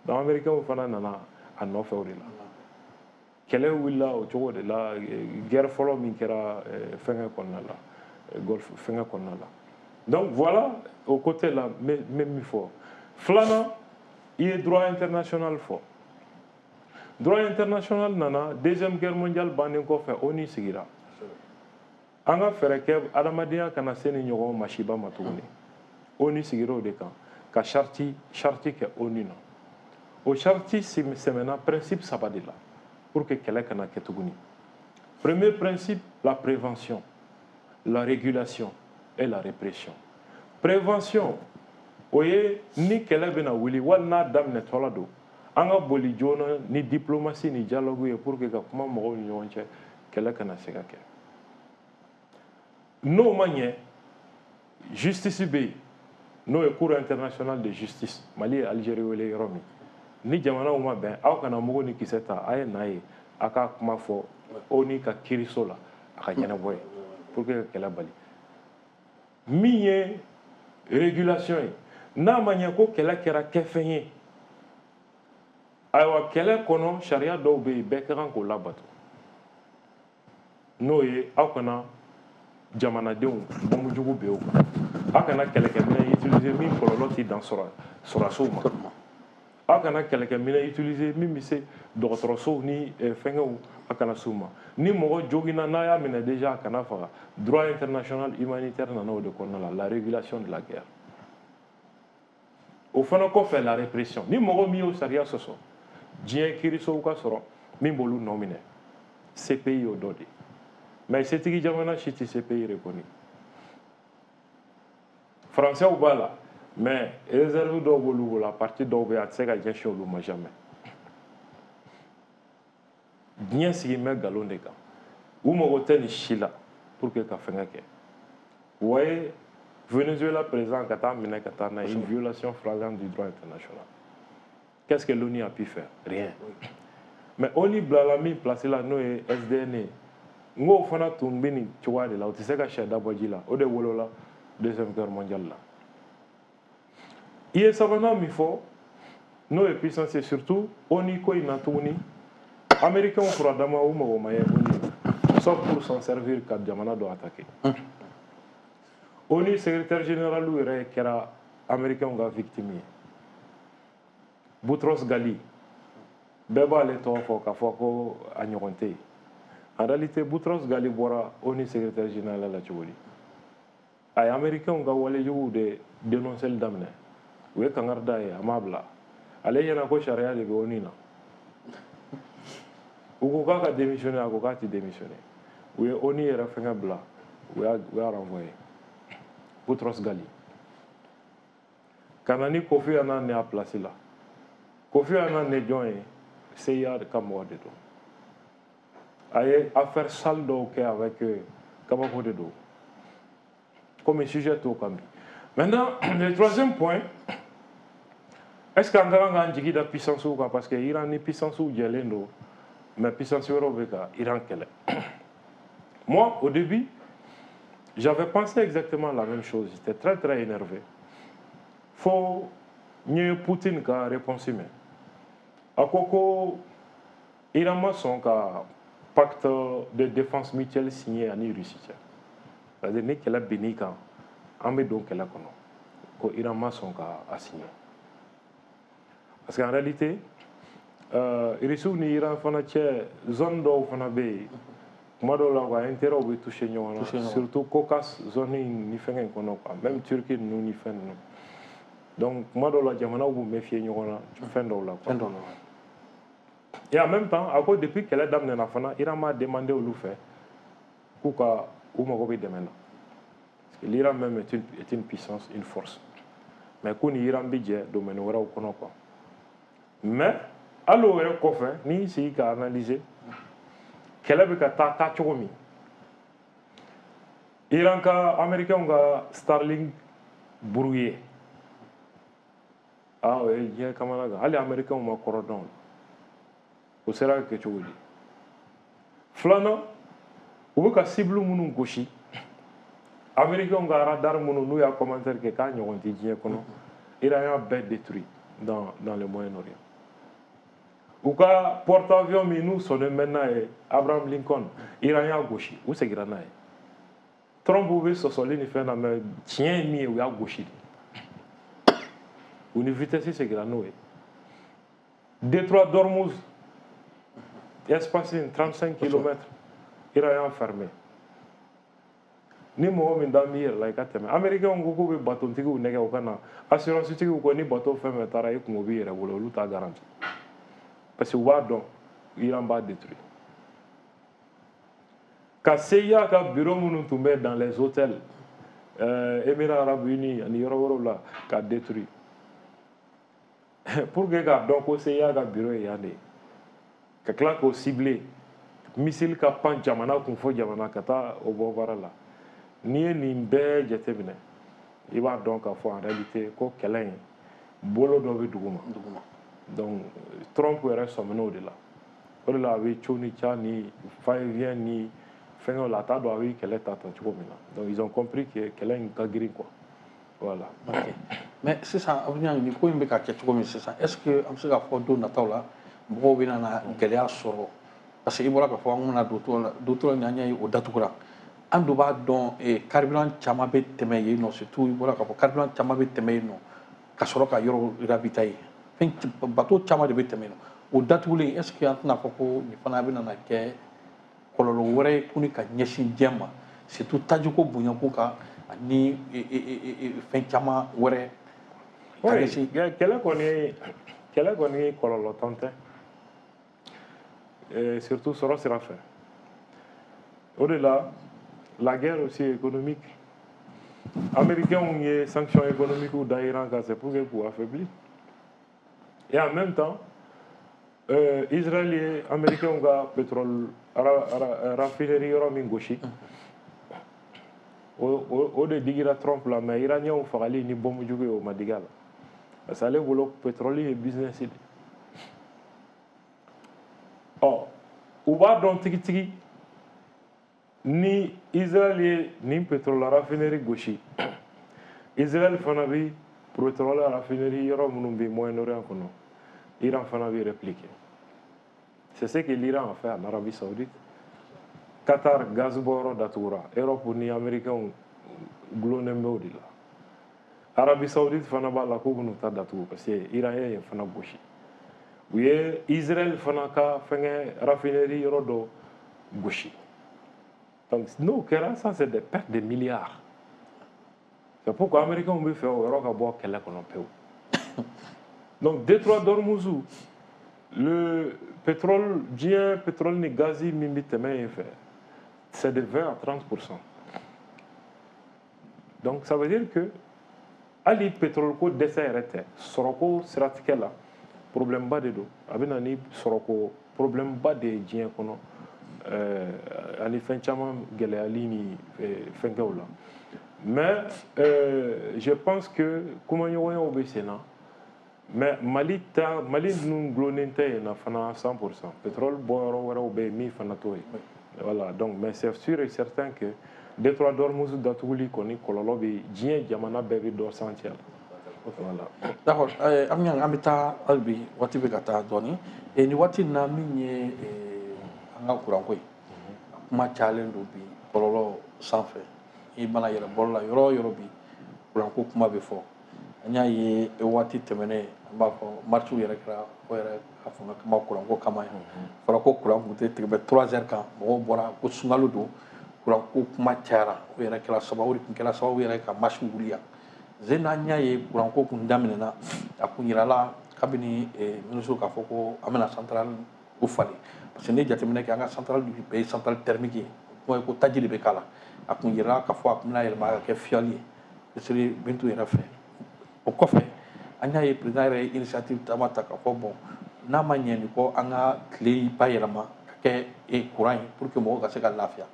Donc américains fana nana a nɔfɛ o de la. Kɛlɛ wulila o cogo de la. Guerre fɔlɔ min kɛra fɛnkɛ kɔnɔna la, Golfe fɛnkɛ kɔnɔna la. Donc voilà, o côté la, n bɛ min fɔ. Filanan, i ye droit international fɔ. Droit international nana Deuxième Guerre mondiale bannen kɔfɛ. ONU sigira. An ka fɛɛrɛ kɛ adamadenya kana se ni ɲɔgɔn masiba ma tuguni. ONU sigira o de kan ka charte charte kɛ ONU na. O charte sɛmɛna principe saba de la pour que kɛlɛ kana kɛ tuguni. Premier principe, la prévention, la régulation et la répression. Prévention, o ye ni kɛlɛ bɛna wuli wali n'a daminɛtɔla don, an ka boli joona ni diplomatie ni dialogue ye pour que ka kuma mɔgɔw ni ɲɔgɔn cɛ, kɛlɛ kana se ka kɛ. N'o ma ɲɛ, justice bɛ yen, n'o ye Cour internationale de justice. Mali ye Algérie wele yɔrɔ min, ni jamanaw ma bɛn, aw kana mugu ni kisɛ ta, a ye na ye, a ka kuma fɔ ONU ka kiiriso la, a ka ɲɛnabɔ ye pour que ka kɛlɛ bali. Min ye régulation ye, n'a ma ɲɛ ko kɛlɛ kɛra kɛfɛn ye, ayiwa, kɛlɛ kɔnɔ sariya dɔw bɛ yen, bɛɛ ka kan k'o labato. N'o ye aw kana jamanadenw bɔnjugu bɛ o kan, aw kana kɛlɛkɛminɛn utiliser min kɔlɔlɔ tɛ dan sɔrɔdasiw ma, aw kana kɛlɛkɛminɛn utiliser min bɛ se dɔgɔtɔrɔsow ni fɛnkɛw, a kana s'u ma. Ni mɔgɔ joginna, n'a y'a minɛ déjà, a kana faga. Droit international humanitaire nana o de kɔnɔna la, la régulation de la guerre. O fana kɔfɛ, la répression. Ni mɔgɔ min y'o sariya sɔsɔ, diɲɛ kiirisow ka sɔrɔ min b'olu nɔ minɛ. C P I y'o dɔ de. Mais setigi jamana si tɛ C P I reconnu. Français b'a la, mais réserve dɔw b'olu bolo, a parti dɔw bɛ yen, a tɛ se ka ɲɛsin olu ma jamais. Diɲɛ sigi bɛ nkalon de kan. U mago tɛ nin si la pour que ka fɛngɛ kɛ. Vous voyez, Venezuela président ka taa minɛ ka taa n'a ye, une violation flagrante du droit international. Qu'est-ce que l'ONU a pu faire? Rien. Mais ONU bilala min place la, n'o ye S D N ye, n k'o fana tun bɛ nin cogoya de la. O tɛ se ka sɛ dabɔ ji la. O de wolola Deuxième Guerre mondiale la. I ye sabanan min fɔ, n'o ye puissance ye, surtout ONU ko in na tuguni, américains furadama, u mago ma ye ONU, sauf pour s'en servir ka jamana dɔ attaquer. ONU secrétaire général yɛrɛ kɛra américains ka victime ye. Boutros Ghali, bɛɛ b'ale tɔgɔ fɔ k'a fɔ ko a ɲɔgɔn tɛ yen. En réalité, Boutros Ghali bɔra ONU secrétaire général la cogo di? A ye américains ka walejuguw de dénoncer daminɛ. U ye kangari da ye, a m'a bila. Ale ɲɛna ko sariya de bɛ ONU na. U ko k'a ka démissionner, a ko k'a tɛ démissionner. U ye ONU yɛrɛ fɛngɛ bila, u y'a u y'a renvoyer. Boutros Ghali ka na ni Kofi Annan ne a place la. Kofi Annan ne jɔn ye? C I A ka mɔgɔ de don. A ye affaire sale dɔw kɛ avec kabako de don. Comme sujet t'o kan bi. Maintenant, le troisième point, Est-ce qu'an ka kan k'an jigi da puissance kan? Parce que Iran ni puissance jɛlen don, mais puissance wɛrɛw bɛ ka Iran kɛlɛ. Moi, au début, j'avais pensé exactement la même chose. J'étais très très énervé. Fo n ye Poutine ka réponse mɛn. A ko ko Iran ma sɔn ka pacte de défense mutuelle signé ani Russie cɛ. C'est-à-dire ni kɛlɛ binn'i kan, an bɛ don kɛlɛ kɔnɔ. Ko Iran ma sɔn ka a signé. Parce qu'en réalité, euh, Russiw ni Iran fana cɛ, zone dɔw fana bɛ yen. Kuma dɔw la, u ka intérêt bɛ toucher ɲɔgɔn na, surtout Caucase zone in ni fɛngɛ in kɔnɔ quoi, même Turquie ninnu ni fɛn ninnu. Donc kuma dɔw la, jamanaw b'u méfier ɲɔgɔn na fɛn dɔw la quoi. Fɛn dɔw la. Et en même temps, a ko depuis kɛlɛ daminɛna fana, Iran m'a demandé olu fɛ k'u ka u mago bɛ dɛmɛ na. Parce que l'Iran même est une, est une puissance, une force. Mais k'u ni Iran bɛ jɛ domaine wɛrɛw kɔnɔ quoi. Mais hali o yɛrɛ kɔfɛ, n'i y'i sigi ka analyser kɛlɛ bɛ ka taa taa cogo min, Iran ka Américains ka Starlink brouillé, ah, o ye diɲɛ kamana gan. Hali Américains ma kɔrɔ dɔn o sera ka kɛ cogo di. Filanan, u bɛ ka cible minnu gosi, Américains ka radar minnu n'u y'a commentaire kɛ k'a ɲɔgɔn tɛ diɲɛ kɔnɔ, Iran y'a bɛɛ détruit dans dans le Moyen-Orient. U ka porte-avions min n'u sɔnnen bɛ n'a ye, Abraham Lincoln, Iran y'a gosi, u seginna n'a ye. Trump bɛ sɔsɔli ni fɛn na, mais tiɲɛ ye min ye, u y'a gosi de, u ni vitesse seginna n'o ye. Détroit d'Ormuz, espace in trente-cinq kilomètres, Iran y'a fermé. Ni mɔgɔ min dan b'i yɛrɛ la, i ka tɛmɛ. Américains ko k'u bɛ batontigiw nɛgɛ u ka na, assurance tigiw ko ni bateau fɛn fɛn taara, i kungo b'i yɛrɛ bolo, olu t'a garanti, parce que u b'a dɔn Iran b'a détruire. Ka C I A ka bureau minnu tun bɛ dans les hôtels, euh, Émirats arabes unis ani yɔrɔ wɛrɛw la, ka détruire pour que k'a dɔn ko C I A ka bureau ye yan de ye, ka tila k'o cibler, missile ka pan jamana kun fo jamana ka taa o bɔ baara la. N'i ye nin bɛɛ jateminɛ, i b'a dɔn k'a fɔ en réalité ko kɛlɛ in bolo dɔ bɛ dugu ma. Duguma. Donc Trump yɛrɛ sɔmin'o de la. O de la a bɛ co ni ca ni va-et-vient ni fɛngɛw la, a t'a dɔn a bɛ kɛlɛ ta ta cogo min na. Donc ils ont compris que kɛlɛ in ka girin quoi, voilà. Ok, mais sisan Abuɲa, nin ko in bɛ ka kɛ cogo min sisan, est ce que an bɛ se k'a fɔ don nataw la mɔgɔw bɛ na gɛlɛya sɔrɔ? Parce que i bɔra k'a fɔ an bɛna don tɔ la, don tɔ la, ni an y'a ye o datugura, an dun b'a dɔn carburant caman bɛ tɛmɛ yen nɔ. Surtout i bɔra k'a fɔ carburant caman bɛ tɛmɛ yen nɔ ka sɔrɔ ka yɔrɔ ravitailler, fɛn bateau caman de bɛ tɛmɛ yen nɔ. O datugulen, est ce que an tɛna fɔ ko nin fana bɛna na kɛ kɔlɔlɔ wɛrɛ ye tuguni ka ɲɛsin diɲɛ ma, surtout tajiko bonyako kan ani fɛn caman wɛrɛ ka Oui, ɲɛsin? kɛlɛ kɔni kɛlɛ kɔni kɔlɔlɔ tan tɛ, surtout sɔrɔ sira fɛ. O de la, la guerre aussi économique, Américains ye sanctions économiques da Iran kan, c'est pour que k'u affaiblir. Et en même temps, euh, Israël ye Américains ka pétrole raffinerie yɔrɔ min gosi, o o de digira Trump la. Mais Iraniens fagali ni bombe jugu ye, o ma digi a la, parce que ale bolo pétrole ye business de. Ɔ u b'a dɔn tigitigi ni Israël ye nin pétrole raffinerie gosi, Israël fana bi pétrole raffinerie yɔrɔ minnu bɛ Moyen-Orient kɔnɔ, Iran fana bɛ répliquer. C'est ce que l'Iran a fait en Arabie Saoudite. Qatar gaz bɔyɔrɔ datugura, Europe ni Américains gulonnen bɛ o de la. Arabie Saoudite fana b'a la k'u bɛn'u ta datugu, parce que Iran ye yen fana gosi. U ye Israël fana ka fɛngɛ raffinerie yɔrɔ dɔ gosi. Donc n'o kɛra, ça c'est des pertes de milliards. C'est pourquoi Américains bɛ fɛ o yɔrɔ ka bɔ kɛlɛ kɔnɔ pewu. Donc détroit d'Ormuz, le pétrole, diɲɛ pétrole ni gazi min bɛ tɛmɛ yen fɛ, c'est de vingt à trente. Donc ça veut dire que hali pétrole ko dɛsɛ yɛrɛ tɛ, sɔrɔko siratigɛ la problème ba de don. A bɛ na ni sɔrɔko problème ba de ye diɲɛ kɔnɔ, euh, ani fɛn caman gɛlɛyali ni fɛnkɛw la. Mais euh, je pense que kumaɲɔgɔnyaw bɛ sen na. Mais Mali ta, Mali ninnu gulonnen tɛ yen na fana cent pour cent. Pétrole bɔyɔrɔ wɛrɛw bɛ yen min fana t'o ye. Voilà, donc, mais c'est sûr et certain que détroit d'Ormuz datuguli kɔni, kɔlɔlɔ bɛ diɲɛ jamana bɛɛ bɛ dɔ sentir la. Voilà. D'accord, an bɛ an bɛ taa hali bi, waati bɛ ka taa dɔɔni. Nin waati in na, min ye an ka kuranko ye, a kuma cayalen don bi bɔlɔlɔ sanfɛ. I mana yɛlɛ bɔlɔ la yɔrɔ o yɔrɔ bi, kuranko kuma bɛ fɔ. An y'a ye waati tɛmɛnen, an b'a fɔ marche yɛrɛ kɛra o yɛrɛ ka fanga kama, kuranko kama yan. Fɔra ko kuran tun tɛ tigɛ bɛ trois heures kan, mɔgɔw bɔra ko sunkalo don, kuranko kuma cayara. O yɛrɛ kɛra sababu, o de tun kɛra sababu yɛrɛ ka marche wuli yan. Zen an y'a ye kuranko kun daminɛna, a kun yirala kabini ministre k'a fɔ ko an bɛna centrale o falen, parce que n'i ye jateminɛ kɛ, an ka centrale bɛɛ ye centrale thermique ye, o kuma ye ko taji de bɛ k'a la. A kun yirala k'a fɔ a kun bɛna yɛlɛma ka kɛ fuel ye, ministre Bintu yɛrɛ fɛ. O kɔfɛ, an y'a ye président yɛrɛ ye initiative caman ta k'a fɔ bon, n'a ma ɲɛ nin kɔ, an ka tile bayɛlɛma ka kɛ courant ye pour que mɔgɔw ka se ka lafiya.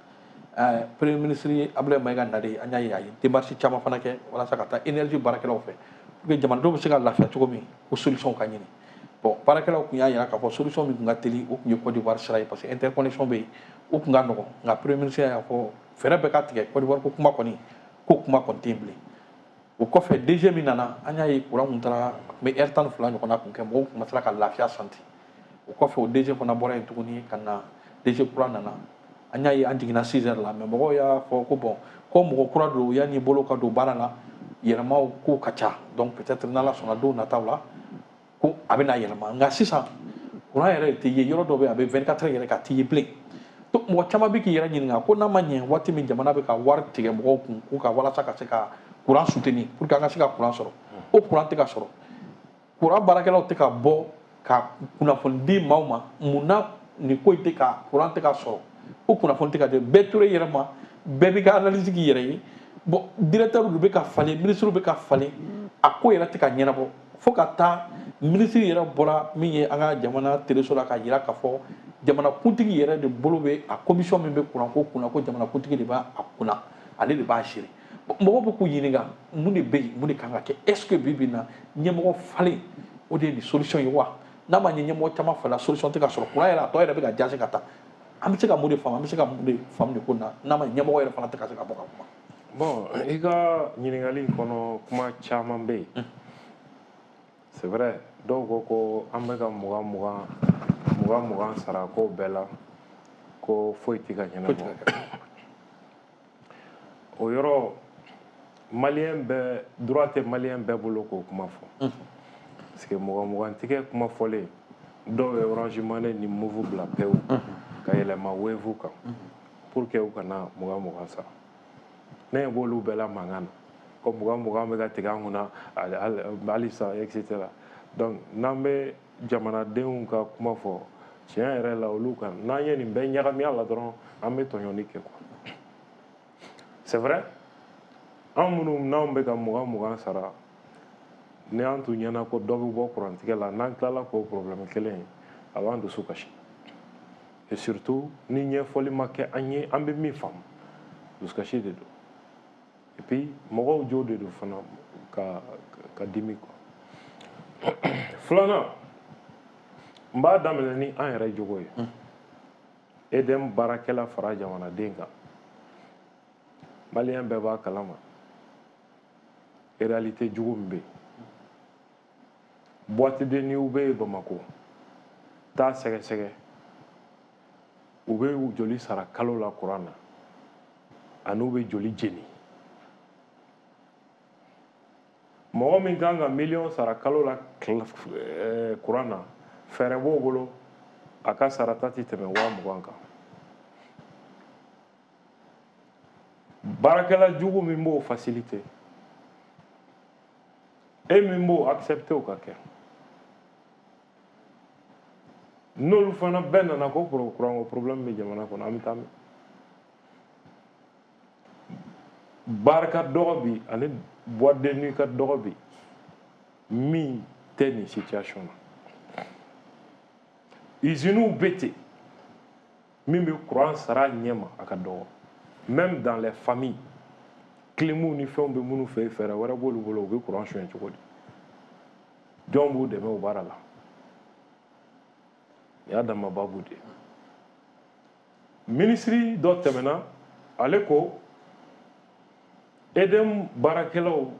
Premier ministre Abdoulaye Maïga nalen, an y'a ye a ye démarche caman fana kɛ walasa ka taa énergie baarakɛlaw fɛ pour que jamanadenw bɛ se ka lafiya cogo min, ko solution ka ɲini. Bon, baarakɛlaw tun y'a jira k'a fɔ solution min tun ka teli, o tun ye Côte d'Ivoire sira ye, parce que interconnexion bɛ yen, o tun ka nɔgɔn. Nka premier ministre y'a fɔ fɛɛrɛ bɛɛ ka tigɛ, Côte d'Ivoire ko kuma kɔni, ko kuma kɔni tɛ yen bilen. O kɔfɛ, D G min nana, an y'a ye courant kun taara, a tun bɛ heure tan ni fila ɲɔgɔnna kun kɛ, mɔgɔw tun ma se ka lafiya santi. O kɔfɛ, o D G fana bɔra yen tuguni ka na, D G kura nana. An y'a ye an jiginna six heures la, mais mɔgɔw y'a fɔ ko bon, ko mɔgɔ kura don, yanni bolo ka don baara la, yɛlɛmaw ko ka ca. Donc peut-être n'Ala sɔnna, don nataw la ko a bɛna yɛlɛma. Nka sisan courant yɛrɛ tɛ ye, yɔrɔ dɔ bɛ yen a bɛ vingt-quatre heures yɛrɛ ka tɛ ye bilen. Donc mɔgɔ caman bɛ k'i yɛrɛ ɲininka ko n'a ma ɲɛ, waati min jamana bɛ ka wari tigɛ mɔgɔw kun k'u ka walasa ka se ka courant soutenir pour que an ka se ka courant sɔrɔ, o courant tɛ ka sɔrɔ, courant baarakɛlaw tɛ ka bɔ ka kunnafoni di maaw ma. Mun na nin ko in tɛ ka courant tɛ ka sɔrɔ, o kunnafoni tɛ ka di? Bɛɛ tora i yɛrɛ ma, bɛɛ b'i ka analyse k'i yɛrɛ ye. Bon, directeur bɛ ka falen, ministre bɛ ka falen, a ko yɛrɛ tɛ ka ɲɛnabɔ, fo ka taa ministre yɛrɛ bɔra min ye an ka jamana teleso la k'a jira k'a fɔ jamanakuntigi yɛrɛ de bolo bɛ a commission min bɛ kuranko kunna, ko jamanakuntigi de b'a kunna, ale de b'a gérer. Mɔgɔw bɛ k'u ɲininka mun de bɛ yen, mun de kan ka kɛ? Est ce que bi bi in na ɲɛmɔgɔ falen, o de ye nin solution ye wa? N'a ma ɲɛ ɲɛmɔgɔ caman falen, solution tɛ ka sɔrɔ, kuran yɛrɛ a tɔ yɛrɛ bɛ ka jase ka taa. An bɛ se ka mun de faamu, an bɛ se ka mun de faamu nin ko in na, n'a ma ɲɛmɔgɔ yɛrɛ fana tɛ ka se ka bɔ ka kuma? Bon, i ka ɲininkali in kɔnɔ, kuma caman bɛ yen. C'est vrai, dɔw ko ko an bɛ ka mugan mugan mugan mugan sara ko bɛɛ la, ko foyi tɛ ka ɲɛnabɔ. O yɔrɔ, maliyɛn bɛɛ droit tɛ, maliyɛn bɛɛ bolo k'o kuma fɔ, parce que mugan mugan tigɛ kuma fɔlen, dɔw ye Orange Money ni Moov bila pewu ka yɛlɛma Wave kan pour que u kana mugan mugan sara. Ne ɲɛ b'olu bɛɛ la mankan na ko mugan mugan bɛ ka tigɛ an kunna halisa, et cetera. Donc n'an bɛ jamanadenw ka kuma fɔ tiɲɛ yɛrɛ la olu kan, n'an ye nin bɛɛ ɲagami a la dɔrɔn, an bɛ tɔɲɔni kɛ quoi. C'est vrai, an minnu n'anw bɛ ka mugan mugan sara, ni an tun ɲɛna ko dɔ bɛ bɔ kurantigɛ la, n'an tilala k'o problème kelen ye, a b'an dusu kasi. Et surtout ni ɲɛfɔli ma kɛ an ye, an bɛ min faamu, dusukasi de don. Et puis mɔgɔw jo de don fana ka ka dimi quoi. Filanan, n b'a daminɛ ni an yɛrɛ jogo ye. E D M baarakɛla fara jamanaden kan, maliyɛn bɛɛ b'a kalama réalité jugu min bɛ yen. Boîte de nuit bɛ yen Bamakɔ, taa sɛgɛsɛgɛ, u bɛ joli sara kalo la kuran na, ani u bɛ joli jeni. Mɔgɔ min kan ka miliyɔn sara kalo la kuran na, fɛɛrɛ b'o bolo a ka sarata tɛ tɛmɛ waa mugan kan. Baarakɛla jugu min b'o facilité, e min b'o accepté o ka kɛ, n'olu fana bɛɛ nana ko kuranko problème bɛ jamana kɔnɔ, an bɛ taa min? Baara ka dɔgɔ bi, ani boîte de nuit ka dɔgɔ bi, min tɛ nin situation na. Usines bɛ ten, min bɛ courant sara ɲɛ ma, a ka dɔgɔ. Même dans les familles, clim ni fɛnw bɛ minnu fɛ yen, fɛɛrɛ wɛrɛ b'olu bolo, u bɛ courant suɲɛ cogo di? Jɔn b'u dɛmɛ o baara la? Nin y'a dama baabu de ye. Minisiri dɔ tɛmɛna, ale ko E D M baarakɛlaw,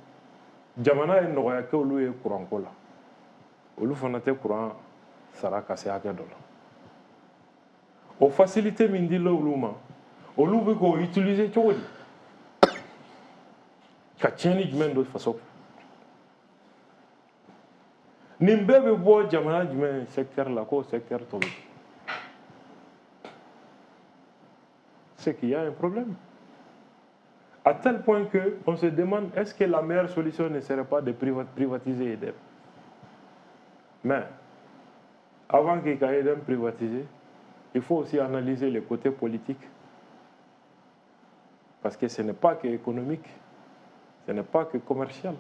jamana ye nɔgɔya kɛ olu ye kuranko la, olu fana tɛ kuran sara ka se hakɛ dɔ la. O facilité min dila olu ma, olu bɛ k'o utiliser cogo di ka tiɲɛni jumɛn don faso kun? Nin bɛɛ bɛ bɔ jamana jumɛn secteur la k'o secteur tɔ bɛ? C'est qu'il y a un problème. À tel point qu'on se demande est-ce que la meilleure solution ne serait pas de privatiser E D M. Mais avant qu'il y ait E D M privatisé, il faut aussi analyser le côté politique. Parce que ce n'est pas que économique, ce n'est pas que commercial.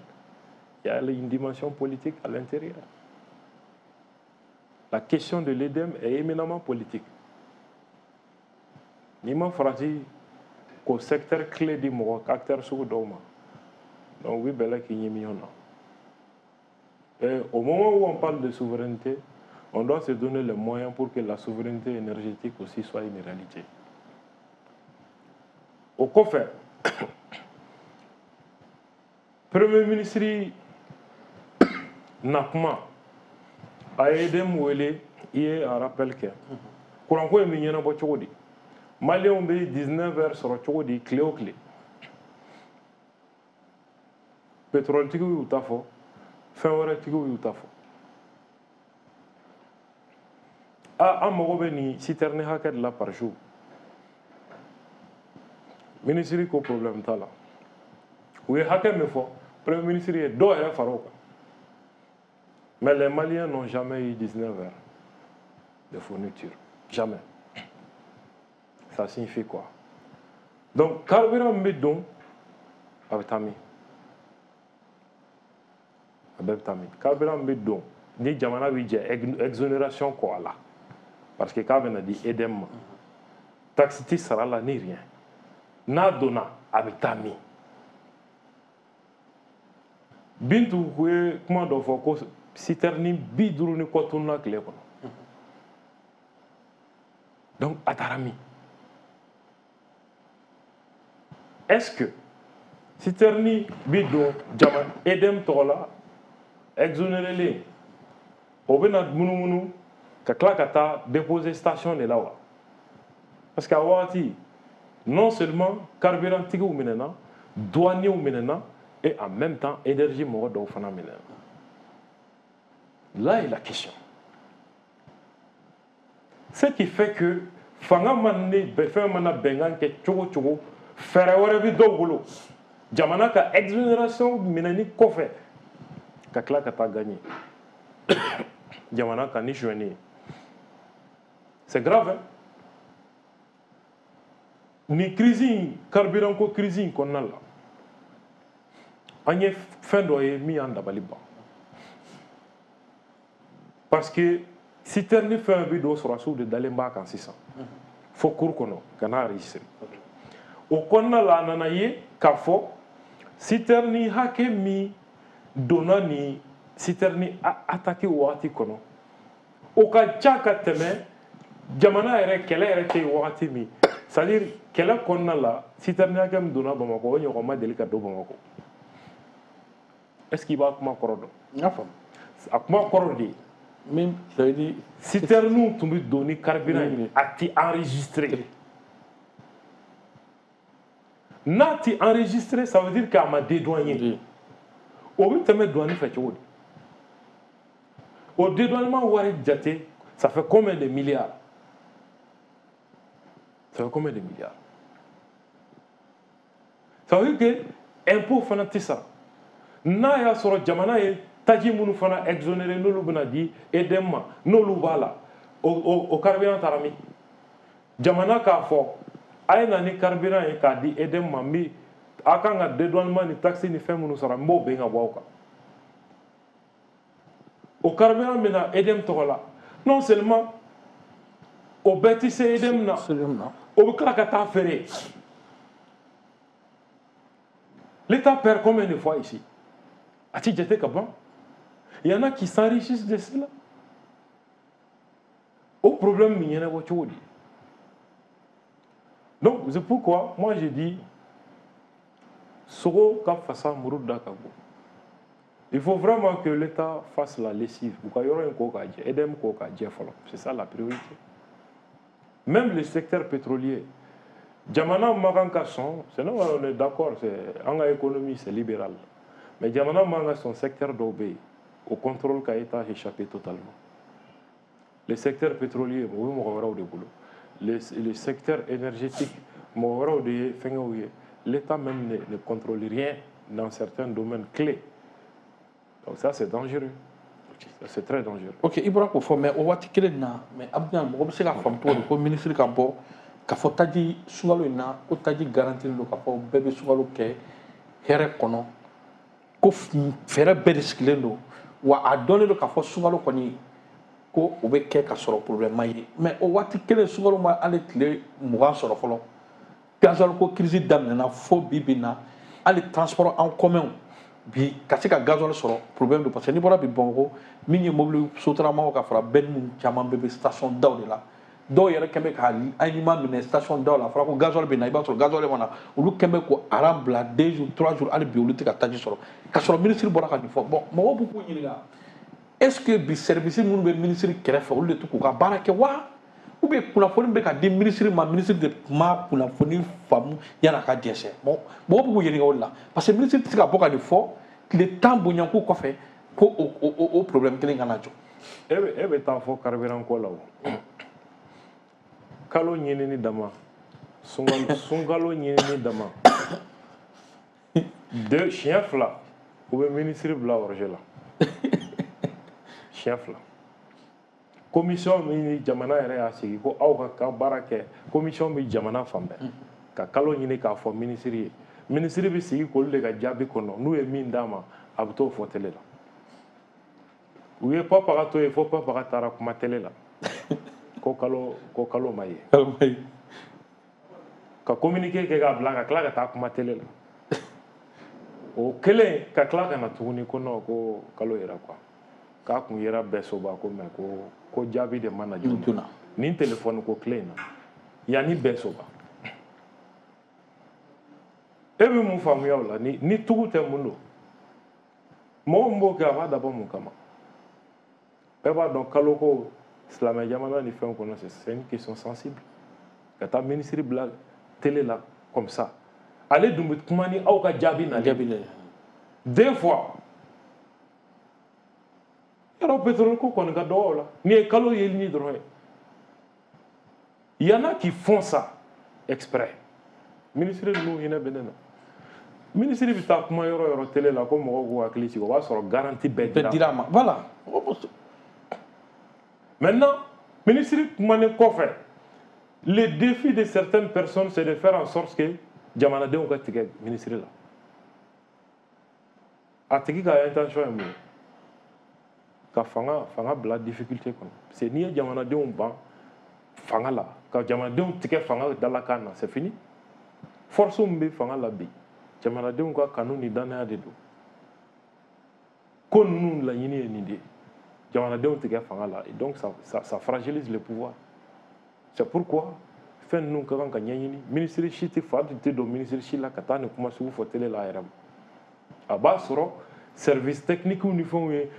Il y a une dimension politique à l'intérieur. La question de l'E D M est éminemment politique. Ni ma farati k'o secteur clé di mɔgɔ acteur sugu dɔw ma, donc u bɛ bɛlɛ k'i ɲimi ɲɔgɔn na. Et au moment où on parle de souveraineté, on doit se donner les moyens pour que la souveraineté énergétique aussi soit une réalité. O kɔfɛ, Premier ministre na kuma, a ye E D M wele, i ye a rappel kɛ. Kuranko in bɛ ɲɛnabɔ cogo di? Maliyɛnw bɛ dix-neuf heures sɔrɔ cogo di tile o tile? Pétroletigiw y'u ta fɔ, fɛn wɛrɛtigiw y'u ta fɔ. Ah, an mago bɛ nin citerne hakɛ de la par jour. Ministre ko problème t'a la. U ye hakɛ min fɔ, Premier ministre ye dɔw yɛrɛ fara o kan. Mais les Maliens n'ont jamais eu dix-neuf heures de fourniture. Jamais. Ça signifie quoi? Donc, carburant bɛ don, a bɛ taa min? A bɛɛ bɛ taa min? Carburant bɛ don ni jamana bɛ jɛ exonération kɔ a la, parce que k'a bɛna di E D M ma. Taxe ti sara la ni rien. N'a donna, a bɛ taa min? Bintu ye kuma dɔ fɔ ko citerne bi duuru ni kɔ tununa tile kɔnɔ. Donc, a taara min? Est-ce que citerne bi don jama E D M tɔgɔ la exonéré o bɛna munumunu ka tila ka taa déposer station de la wa? Parce que a wagati, non seulement carburant tigiw minɛna, douaniers minɛna, et en même temps énergie mɔgɔ dɔw fana minɛna. Là est la question. Ce qui fait que fanga mana ne fɛn mana bɛnkan kɛ cogo cogo, fɛɛrɛ wɛrɛ bɛ dɔw bolo jamana ka exonération minɛni kɔfɛ ka tila ka taa gagner jamana kan ni sonyɛni ye. C'est grave, hein? Ni crise in, carburant ko crise in kɔnɔna la, an ye fɛn dɔ ye min y'an dabali ban. Parce que citerne fɛn bɛ don, sɔrɔdasiw de dalen b'a kan sisan fo cour kɔnɔ ka n'a enregistrer. O kɔnɔna la, a nana ye k'a fɔ citerne hakɛ min donna nin citerne attaque wagati kɔnɔ, o ka ca ka tɛmɛ jamana yɛrɛ kɛlɛ yɛrɛ tɛ yen wagati min. C'est-à-dire kɛlɛ kɔnɔna la, citerne hakɛ min donna Bamakɔ, o ɲɔgɔn ma deli ka don Bamakɔ. Est-ce qu'il b'a kuma kɔrɔ dɔn? N y'a faamu. A kuma kɔrɔ de ye min, ça veut dire citerne tun bɛ don ni carburant ye, a ti enregistré. N'a ti enregistré, ça veut dire k'a ma dédouané. O bɛ tɛmɛ douane fɛ cogo di? O dédouanement wari jate, ça fait combien de milliards? Ça fait combien de milliards? Ça veut dire que impôt fana tɛ sara. N'a y'a sɔrɔ jamana ye taji minnu fana exonéré, n'olu bɛna di E D M ma, n'olu b'a la, o o o carburant taara min? Jamana k'a fɔ a ye na ni carburant ye k'a di E D M ma, min a kan ka dédouanement ni taxe ni fɛn minnu sara, n b'o bɛn ka bɔ aw kan. O carburant bɛ na E D M tɔgɔ la, non seulement o bɛɛ tɛ se E D M na, o bɛ tila ka taa feere. L'État perd combien de fois ici? A ti jate ka ban. Il y en a qui s'enrichissent de cela. Au problème, il y en a beaucoup. Donc, c'est pourquoi moi j'ai dit, Soro ka fasa muru da ka bon. Il faut vraiment que l'État fasse la lessive. C'est ça la priorité. Même le secteur pétrolier. Jamana man kan ka sɔn, c'est normal, on est d'accord, en économie c'est libéral. Mais jamana man kan sɔn secteur dɔw bɛ yen, au contrôle ka État échappé totalement. Le secteur pétrolier, o bɛ mɔgɔ wɛrɛw de bolo. Le, le secteur énergétique, mɔgɔ wɛrɛw de ye fɛngɛw ye. L'État même ne, ne contrôle rien dans certains domaines clés. Donc ça, c'est dangereux. C'est très dangereux. Ok, i bɔra k'o fɔ, mais o waati kelen na, mais Abdul, mɔgɔ bɛ se k'a faamu cogo di ko ministre ka bɔ k'a fɔ taji sunkalo in na, ko taji garanti don, k'a fɔ bɛɛ bɛ sunkalo kɛ hɛrɛ kɔnɔ, ko fɛɛrɛ bɛɛ de sigilen don, wa a dɔnnen don k'a fɔ sunkalo kɔni ko o bɛ kɛ ka sɔrɔ problème ma ye? Mais o waati kelen, sunkalo ma hali tile mugan sɔrɔ fɔlɔ, gasoil ko crise daminɛna. Fo bi bi na, hali transport en commun bi, ka se ka gasoil sɔrɔ, problème don, parce que n'i bɔra bi Bamakɔ, min ye mobili sotaramaw ka fara bɛɛ ni caman bɛɛ bɛ station daw de la. Dɔw yɛrɛ kɛn bɛ ka aliment minɛ station daw la. A fɔra ko gasoil bɛ na, i b'a sɔrɔ gasoil ma na. Olu kɛn bɛ ko aran bila deux jours, trois jours, hali bi olu tɛ ka taji sɔrɔ, ka sɔrɔ ministre bɔra ka nin fɔ. Bon, mɔgɔw b'u k'u ɲininka, est ce que bi service minnu bɛ ministre kɛrɛfɛ, olu de tɛ k'u ka baara kɛ wa, ou bien kunnafoni bɛ ka di ministre ma, ministre de ma kunnafoni faamu yan'a ka dɛsɛ? Bon, mɔgɔw b'u k'u ɲininka o de la, parce que ministre tɛ se ka bɔ ka nin fɔ tile tan bonyanko kɔfɛ ko o o o problème kelen kana jɔ. E bɛ e bɛ taa fɔ carburant ko la, o kalo ɲinini dama, sunkalo sunkalo ɲinini dama, deux, siɲɛ fila u bɛ ministre bila hors-jeu la, siɲɛ fila. Commission min ni jamana yɛrɛ y'a sigi ko aw ka ka baara kɛ, commission bɛ jamana fan bɛɛ ka kalo ɲini k'a fɔ ministre ye, ministre bɛ sigi k'olu de ka jaabi kɔnɔ. N'u ye min d'a ma, a bɛ t'o fɔ télé la. U ye Papa ka to yen fo Papa ka taara kuma télé la ko kalo ko kalo ma ye, kalo ma ye, ka communiqué kɛ k'a bila, ka tila ka taa kuma télé la. O kelen ka tila ka na tuguni ko non, ko kalo yɛrɛ quoi, k'a kun yera bɛɛ soba ko, mais ko ko jaabi de ma na joona. Nin téléphone ko tile in na, yanni bɛɛ soba, e bɛ mun faamuya o la? Ni ni tugu tɛ, mun don? Mɔgɔ min b'o kɛ, a b'a dabɔ mun kama? Bɛɛ b'a dɔn kalo ko silamɛ jamana ni fɛnw kɔnɔ, c'est une question sensible. Ka taa ministre bila télé la comme ça, ale dun bɛ kuma ni aw ka jaabi nalen. Jaabi de. Deux fois yɔrɔ, pétrole ko kɔni ka dɔgɔ o la, nin ye kalo yelini dɔrɔn ye. Il y en a qui font ça exprès. Ministre ninnu hinɛ bɛ ne na. Ministre bɛ taa kuma yɔrɔ yɔrɔ télé la ko mɔgɔw k'u hakili sigi, o b'a sɔrɔ garantie bɛɛ bɛɛ dira a ma, voilà. Maintenant, ministre kumanen kɔfɛ, le défi de certaines personnes, c'est de faire en sorte que jamanadenw ka tigɛ ministre la. A tigi ka intention ye mun ye? Ka fanga fanga bila difficulté kɔnɔ, parce que n'i ye jamanadenw ban fanga la, ka jamanadenw tigɛ fanga dalakan na, c'est fini. Force min bɛ fanga la bi, jamanadenw ka kanu ni danaya de don. Ko ninnu laɲini ye nin de ye, jamanadenw tigɛ fanga la, et donc ça, ça, ça fragilise le pouvoir. C'est pourquoi fɛn ninnu ka kan ka ɲɛɲini. Ministre si tɛ fa tɛ don ministre si la ka taa nin kuma sugu fɔ télé la a yɛrɛ ma. A b'a sɔrɔ service technique ni fɛnw ye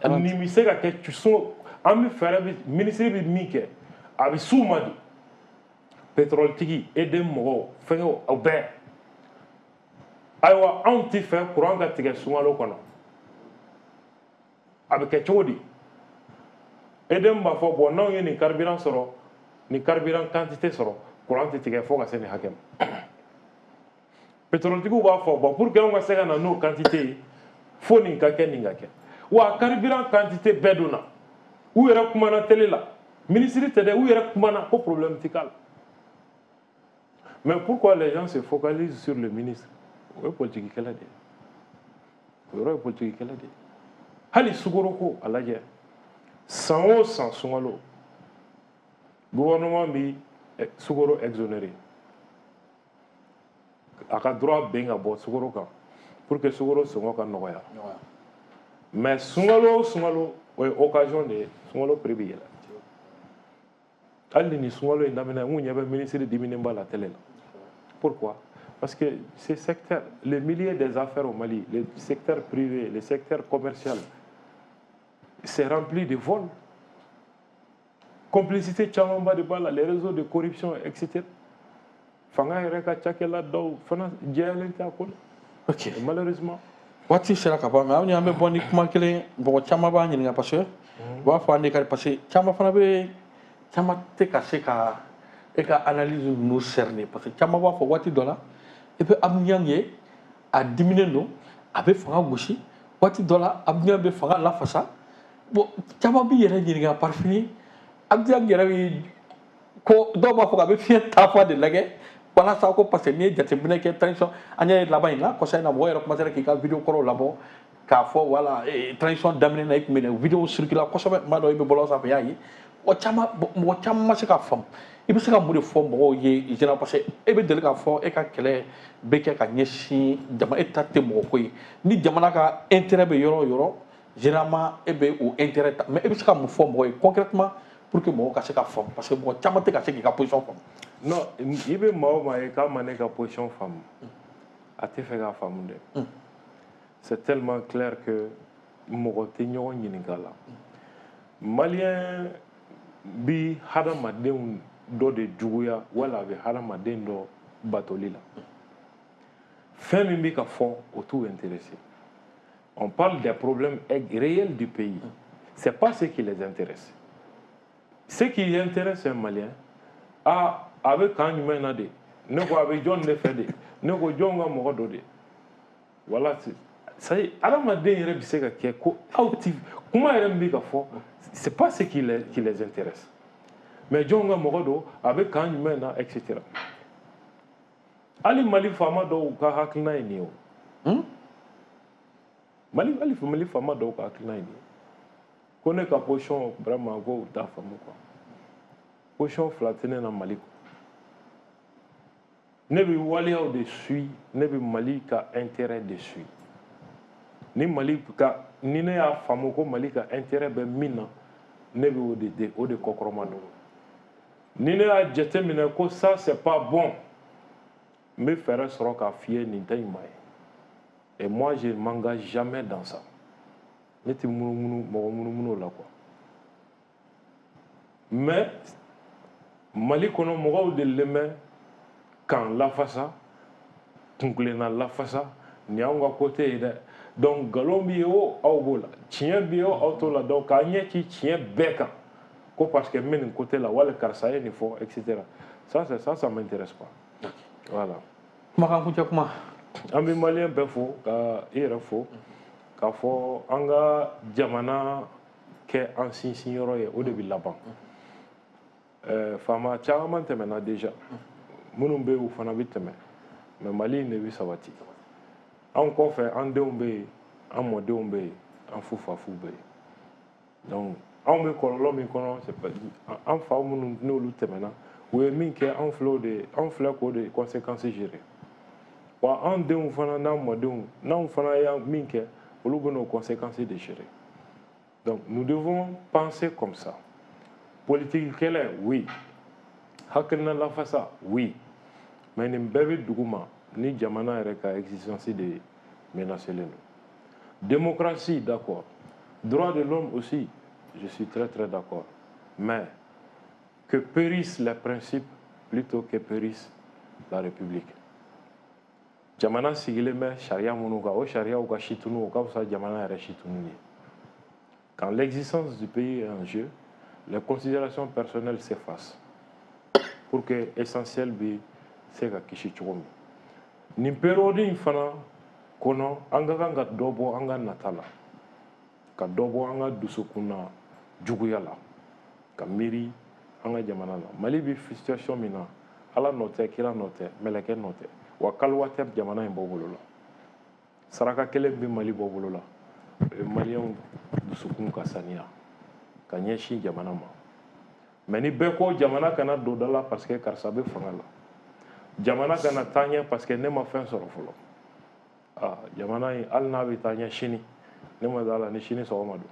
nin bɛ se ka kɛ so. An bɛ fɛɛrɛ bɛ, ministre bɛ min kɛ, a bɛ s'u ma de. Pétrole tigi, E D M mɔgɔw, fɛngɛw, aw bɛɛ, ayiwa, anw tɛ fɛ courant ka tigɛ sunkalo kɔnɔ, a bɛ kɛ cogo di? E D M b'a fɔ, bon, n'anw ye nin carburant sɔrɔ, nin carburant quantité sɔrɔ, courant tɛ tigɛ fo ka se nin hakɛ ma. Pétrole tigiw b'a fɔ, bon, pour que anw ka se ka na n'o quantité ye, fo nin ka kɛ, nin ka kɛ. Wa carburant quantité bɛɛ donna, u yɛrɛ kumana télé la, ministre tɛ dɛ, u yɛrɛ kumana ko problème tɛ k'a la. Mais pourquoi les gens se focalisent sur le ministre? O ye politique kɛlɛ de ye, o yɔrɔ ye politique kɛlɛ de ye. Hali sukaro ko, a lajɛ, san o san sunkalo, gouvernement bi sukaro exonéré, a ka droit ben ka bɔ sukaro kan pour que sukaro sɔngɔ ka nɔgɔya. Mais sunkalo o sunkalo, o ye occasion de ye, sunkalo prix bɛ yɛlɛ. Hali ni sunkalo in daminɛ, n kun ɲɛ bɛ ministre diminenba la télé la. Pourquoi? Parce que ces secteurs, le milieu des affaires au Mali, le secteur privé, le secteur commercial, c'est rempli de vols. Complicité camanba de b'a la, les réseaux de corruption, et cetera. Fanga yɛrɛ ka cakɛla dɔw fana jɛyalen tɛ a ko la. Ok. Malheureusement. Waati sera ka ban, mais aw ni an bɛ bɔ ni kuma kelen, mɔgɔ caman b'a ɲininka parce que u b'a fɔ an de ka, parce que caman fana bɛ, caman tɛ ka se ka e ka analyse ninnu cerner, parce que caman b'a fɔ waati dɔ la e bɛ Abdou Niang ye, a diminen don, a bɛ fanga gosi, waati dɔ la Abdou Niang bɛ fanga lafasa. Bon, caman b'i yɛrɛ ɲininka par fini Abdou Niang yɛrɛ bɛ ko dɔw b'a fɔ k'a bɛ fiɲɛ taafa de lajɛ walasa ko, parce que n'i ye jateminɛ kɛ transition, an y'a ye laban in na, kɔsa in na, mɔgɔ yɛrɛ commencé k'i ka vidéo kɔrɔw labɔ k'a fɔ voilà, transition daminɛ na i tun bɛ nin vidéo circuler kosɛbɛ, n b'a dɔn i bɛ bɔlɔlɔ sanfɛ, i y'a ye. Mɔgɔ caman mɔgɔ caman ma se k'a faamu. I bɛ se ka mun de fɔ mɔgɔw ye général? Parce que e bɛ deli k'a fɔ e ka kɛlɛ bɛ kɛ ka ɲɛsin jama, e ta tɛ mɔgɔ ko ye, ni jamana ka intérêt bɛ yɔrɔ o yɔrɔ, généralement e bɛ o intérêt ta. Mais e bɛ se ka mun fɔ mɔgɔw ye concrètement pour que mɔgɔw ka se ka faamu? Parce que mɔgɔ caman tɛ ka se k'i ka position faamu. Non, i bɛ maa o maa ye k'a ma ne ka position faamu, a tɛ fɛ k'a faamu dɛ. C'est tellement clair que mɔgɔ tɛ ɲɔgɔn ɲininka la. Malien bi hadamadenw dɔ de juguya wala a bɛ hadamaden dɔ batoli la. Fɛn min bɛ ka fɔ, o t'u intéressé. On parle des problèmes réels du pays, c'est pas ce qui les intéresse. Ce qui intéresse un Malien, ah, a bɛ kan jumɛn na de, ne ko a bɛ jɔn de fɛ de, ne ko jɔn ka mɔgɔ dɔ de. Voilà, ça y est, hadamaden yɛrɛ bɛ se ka kɛ ko aw ti kuma yɛrɛ min bɛ ka fɔ, c'est pas ce qui les, qui les intéresse. Mais jɔn ka mɔgɔ don, a bɛ kan jumɛn na, et cetera. Hali Mali faama dɔw ka hakilina ye nin ye o. Mali, hali Mali faama dɔw ka hakilina ye nin ye. Ko ne ka position vraiment, ko u t'a faamu quoi. Position fila tɛ ne na Mali kɔ. Ne bɛ waleyaw de suit, ne bɛ Mali ka intérêt de suit. Ni Mali ka, ni ne y'a faamu ko Mali ka intérêt bɛ min na, ne bɛ o de de o de kɔkɔrɔma don. Ni ne y'a jateminɛ ko ça c'est pas bon, n bɛ fɛɛrɛ sɔrɔ k'a f'i ye nin tɛ ɲuman ye. Et moi, je m'engage jamais dans ça. Ne tɛ munumunu mɔgɔ munumunu o la quoi. Mais Mali kɔnɔ, mɔgɔw delilen bɛ k'an lafasa, kunkilenna lafasa, nin y'anw ka côté ye dɛ. Donc nkalon bɛ yen o, aw b'o la, tiɲɛ bɛ yen o, aw t'o la. Donc k'an ɲɛ ci tiɲɛ bɛɛ kan ko parce que n bɛ nin côté la, wali karisa ye nin fɔ, et cetera. Ça c'est ça, ça m'intéresse pas. Voilà. Kumakan kuncɛ kuma. An bɛ malien bɛɛ fo, ka i yɛrɛ fo, k'a fɔ an ka jamana kɛ an sinsin yɔrɔ ye, o de bɛ laban. Ɛɛ faama caman tɛmɛna déjà, minnu bɛ yen, u fana bɛ tɛmɛ, mais Mali in de bɛ sabati. An kɔfɛ, an denw bɛ yen, an mɔdenw bɛ yen, an fufafuw bɛ yen. Donc anw bɛ kɔlɔlɔ min kɔnɔ, c'est pas an fa minnu n'olu tɛmɛna, u ye min kɛ, anw filɛ o de, anw filɛ k'o de conséquences gérer. Wa an denw fana n'an mɔdenw, n'anw fana ye min kɛ, olu bɛ n'o conséquences de gérer. Donc nous devons penser comme ça. Politique kɛlɛ, oui, hakilina lafasa, oui, mais nin bɛɛ bɛ dugu ma ni jamana yɛrɛ ka existence de menacé len don. Démocratie, d'accord, droit de l'homme aussi, je suis très très d'accord, mais que périssent les principes plutôt que périsse la République. Jamana sigilen bɛ sariya minnu kan, o sariyaw ka situnu, o ka fisa jamana yɛrɛ situnu ye. Quand l'existence du pays est en jeu, les considérations personnelles s'effacent pour que essentiel bɛ se ka kisi cogo min. Nin période in fana kɔnɔ, an ka kan ka dɔ bɔ an ka nata la, ka dɔ bɔ an ka dusukun na juguya la, ka miiri an ka jamana la. Mali bɛ situation min na, Ala nɔ tɛ, kira nɔ tɛ, mɛlɛkɛ nɔ tɛ, wa kaliwa tɛ jamana in bɔ bolo la. Saraka kelen bɛ Mali bɔ bolo la, o ye maliyɛnw dusukun ka saniya ka ɲɛsin jamana ma. Mais ni bɛɛ ko jamana kana don da la parce que karisa bɛ fanga la, jamana kana taa ɲɛ parce que ne ma fɛn sɔrɔ fɔlɔ, ah, jamana in, hali n'a bɛ taa ɲɛ sini, Ne ma da la ni sini sɔgɔma don.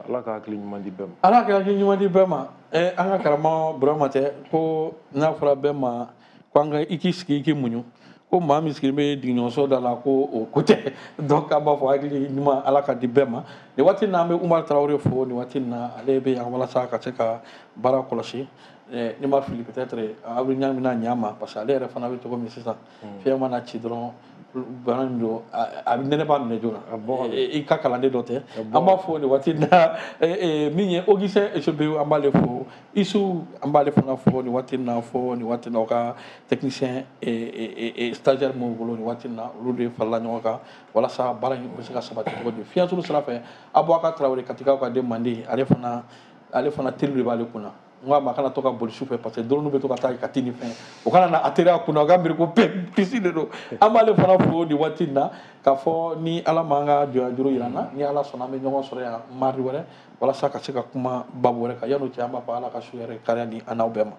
Ala ka hakili ɲuman di bɛɛ ma. Ala ka hakili ɲuman di bɛɛ ma. An ka karamɔgɔ Burama tɛ ko n'a fɔra bɛɛ ma ko an ka i k'i sigi i k'i muɲu, ko maa min sigilen bɛ digiɲɔgɔnso da la ko o ko tɛ. Donc an b'a fɔ hakili ɲuman Ala ka di bɛɛ ma. Nin waati in na an bɛ Umaru Tarawele fo nin waati in na, ale bɛ yan walasa ka se ka baara kɔlɔsi. Ni ma fili, peut-être aw bɛ ɲa bɛna ɲa ma, parce que ale yɛrɛ fana bɛ cogo min sisan, fiɲɛ mana ci dɔrɔn, bana min don, a bɛ nɛnɛ b'a minɛ joona. I ka kalanden dɔ tɛ, an b'a fɔ nin waati in na. Min ye Augustin Esobe, an b'ale fo. Isu, an b'ale fana fo nin waati in na, fo nin waati in na o ka technicien stagiaire minnu bolo nin waati in na, olu de farala ɲɔgɔn kan walasa baara in bɛ se ka sabati cogo di. Fiɲɛsuru sira fɛ, Abubakar Tarawele, Katikaw ka den mandi, ale fana ale fana teri de b'ale kunna. N ko a ma a kana to ka boli su fɛ, parce que drone bɛ to ka taa Kati ni fɛn, o kana na a teriya kunna, o ka miiri ko pisi de don. An b'ale fana fo nin waati in na, k'a fɔ ni Ala m'an ka jɔnya juru yira an na, ni Ala sɔnna, an bɛ ɲɔgɔn sɔrɔ yan mardi wɛrɛ walasa ka se ka kuma babu wɛrɛ kan. Yan'o cɛ, an b'a fɔ Ala ka su yɛrɛ kariya di an n'aw bɛɛ ma.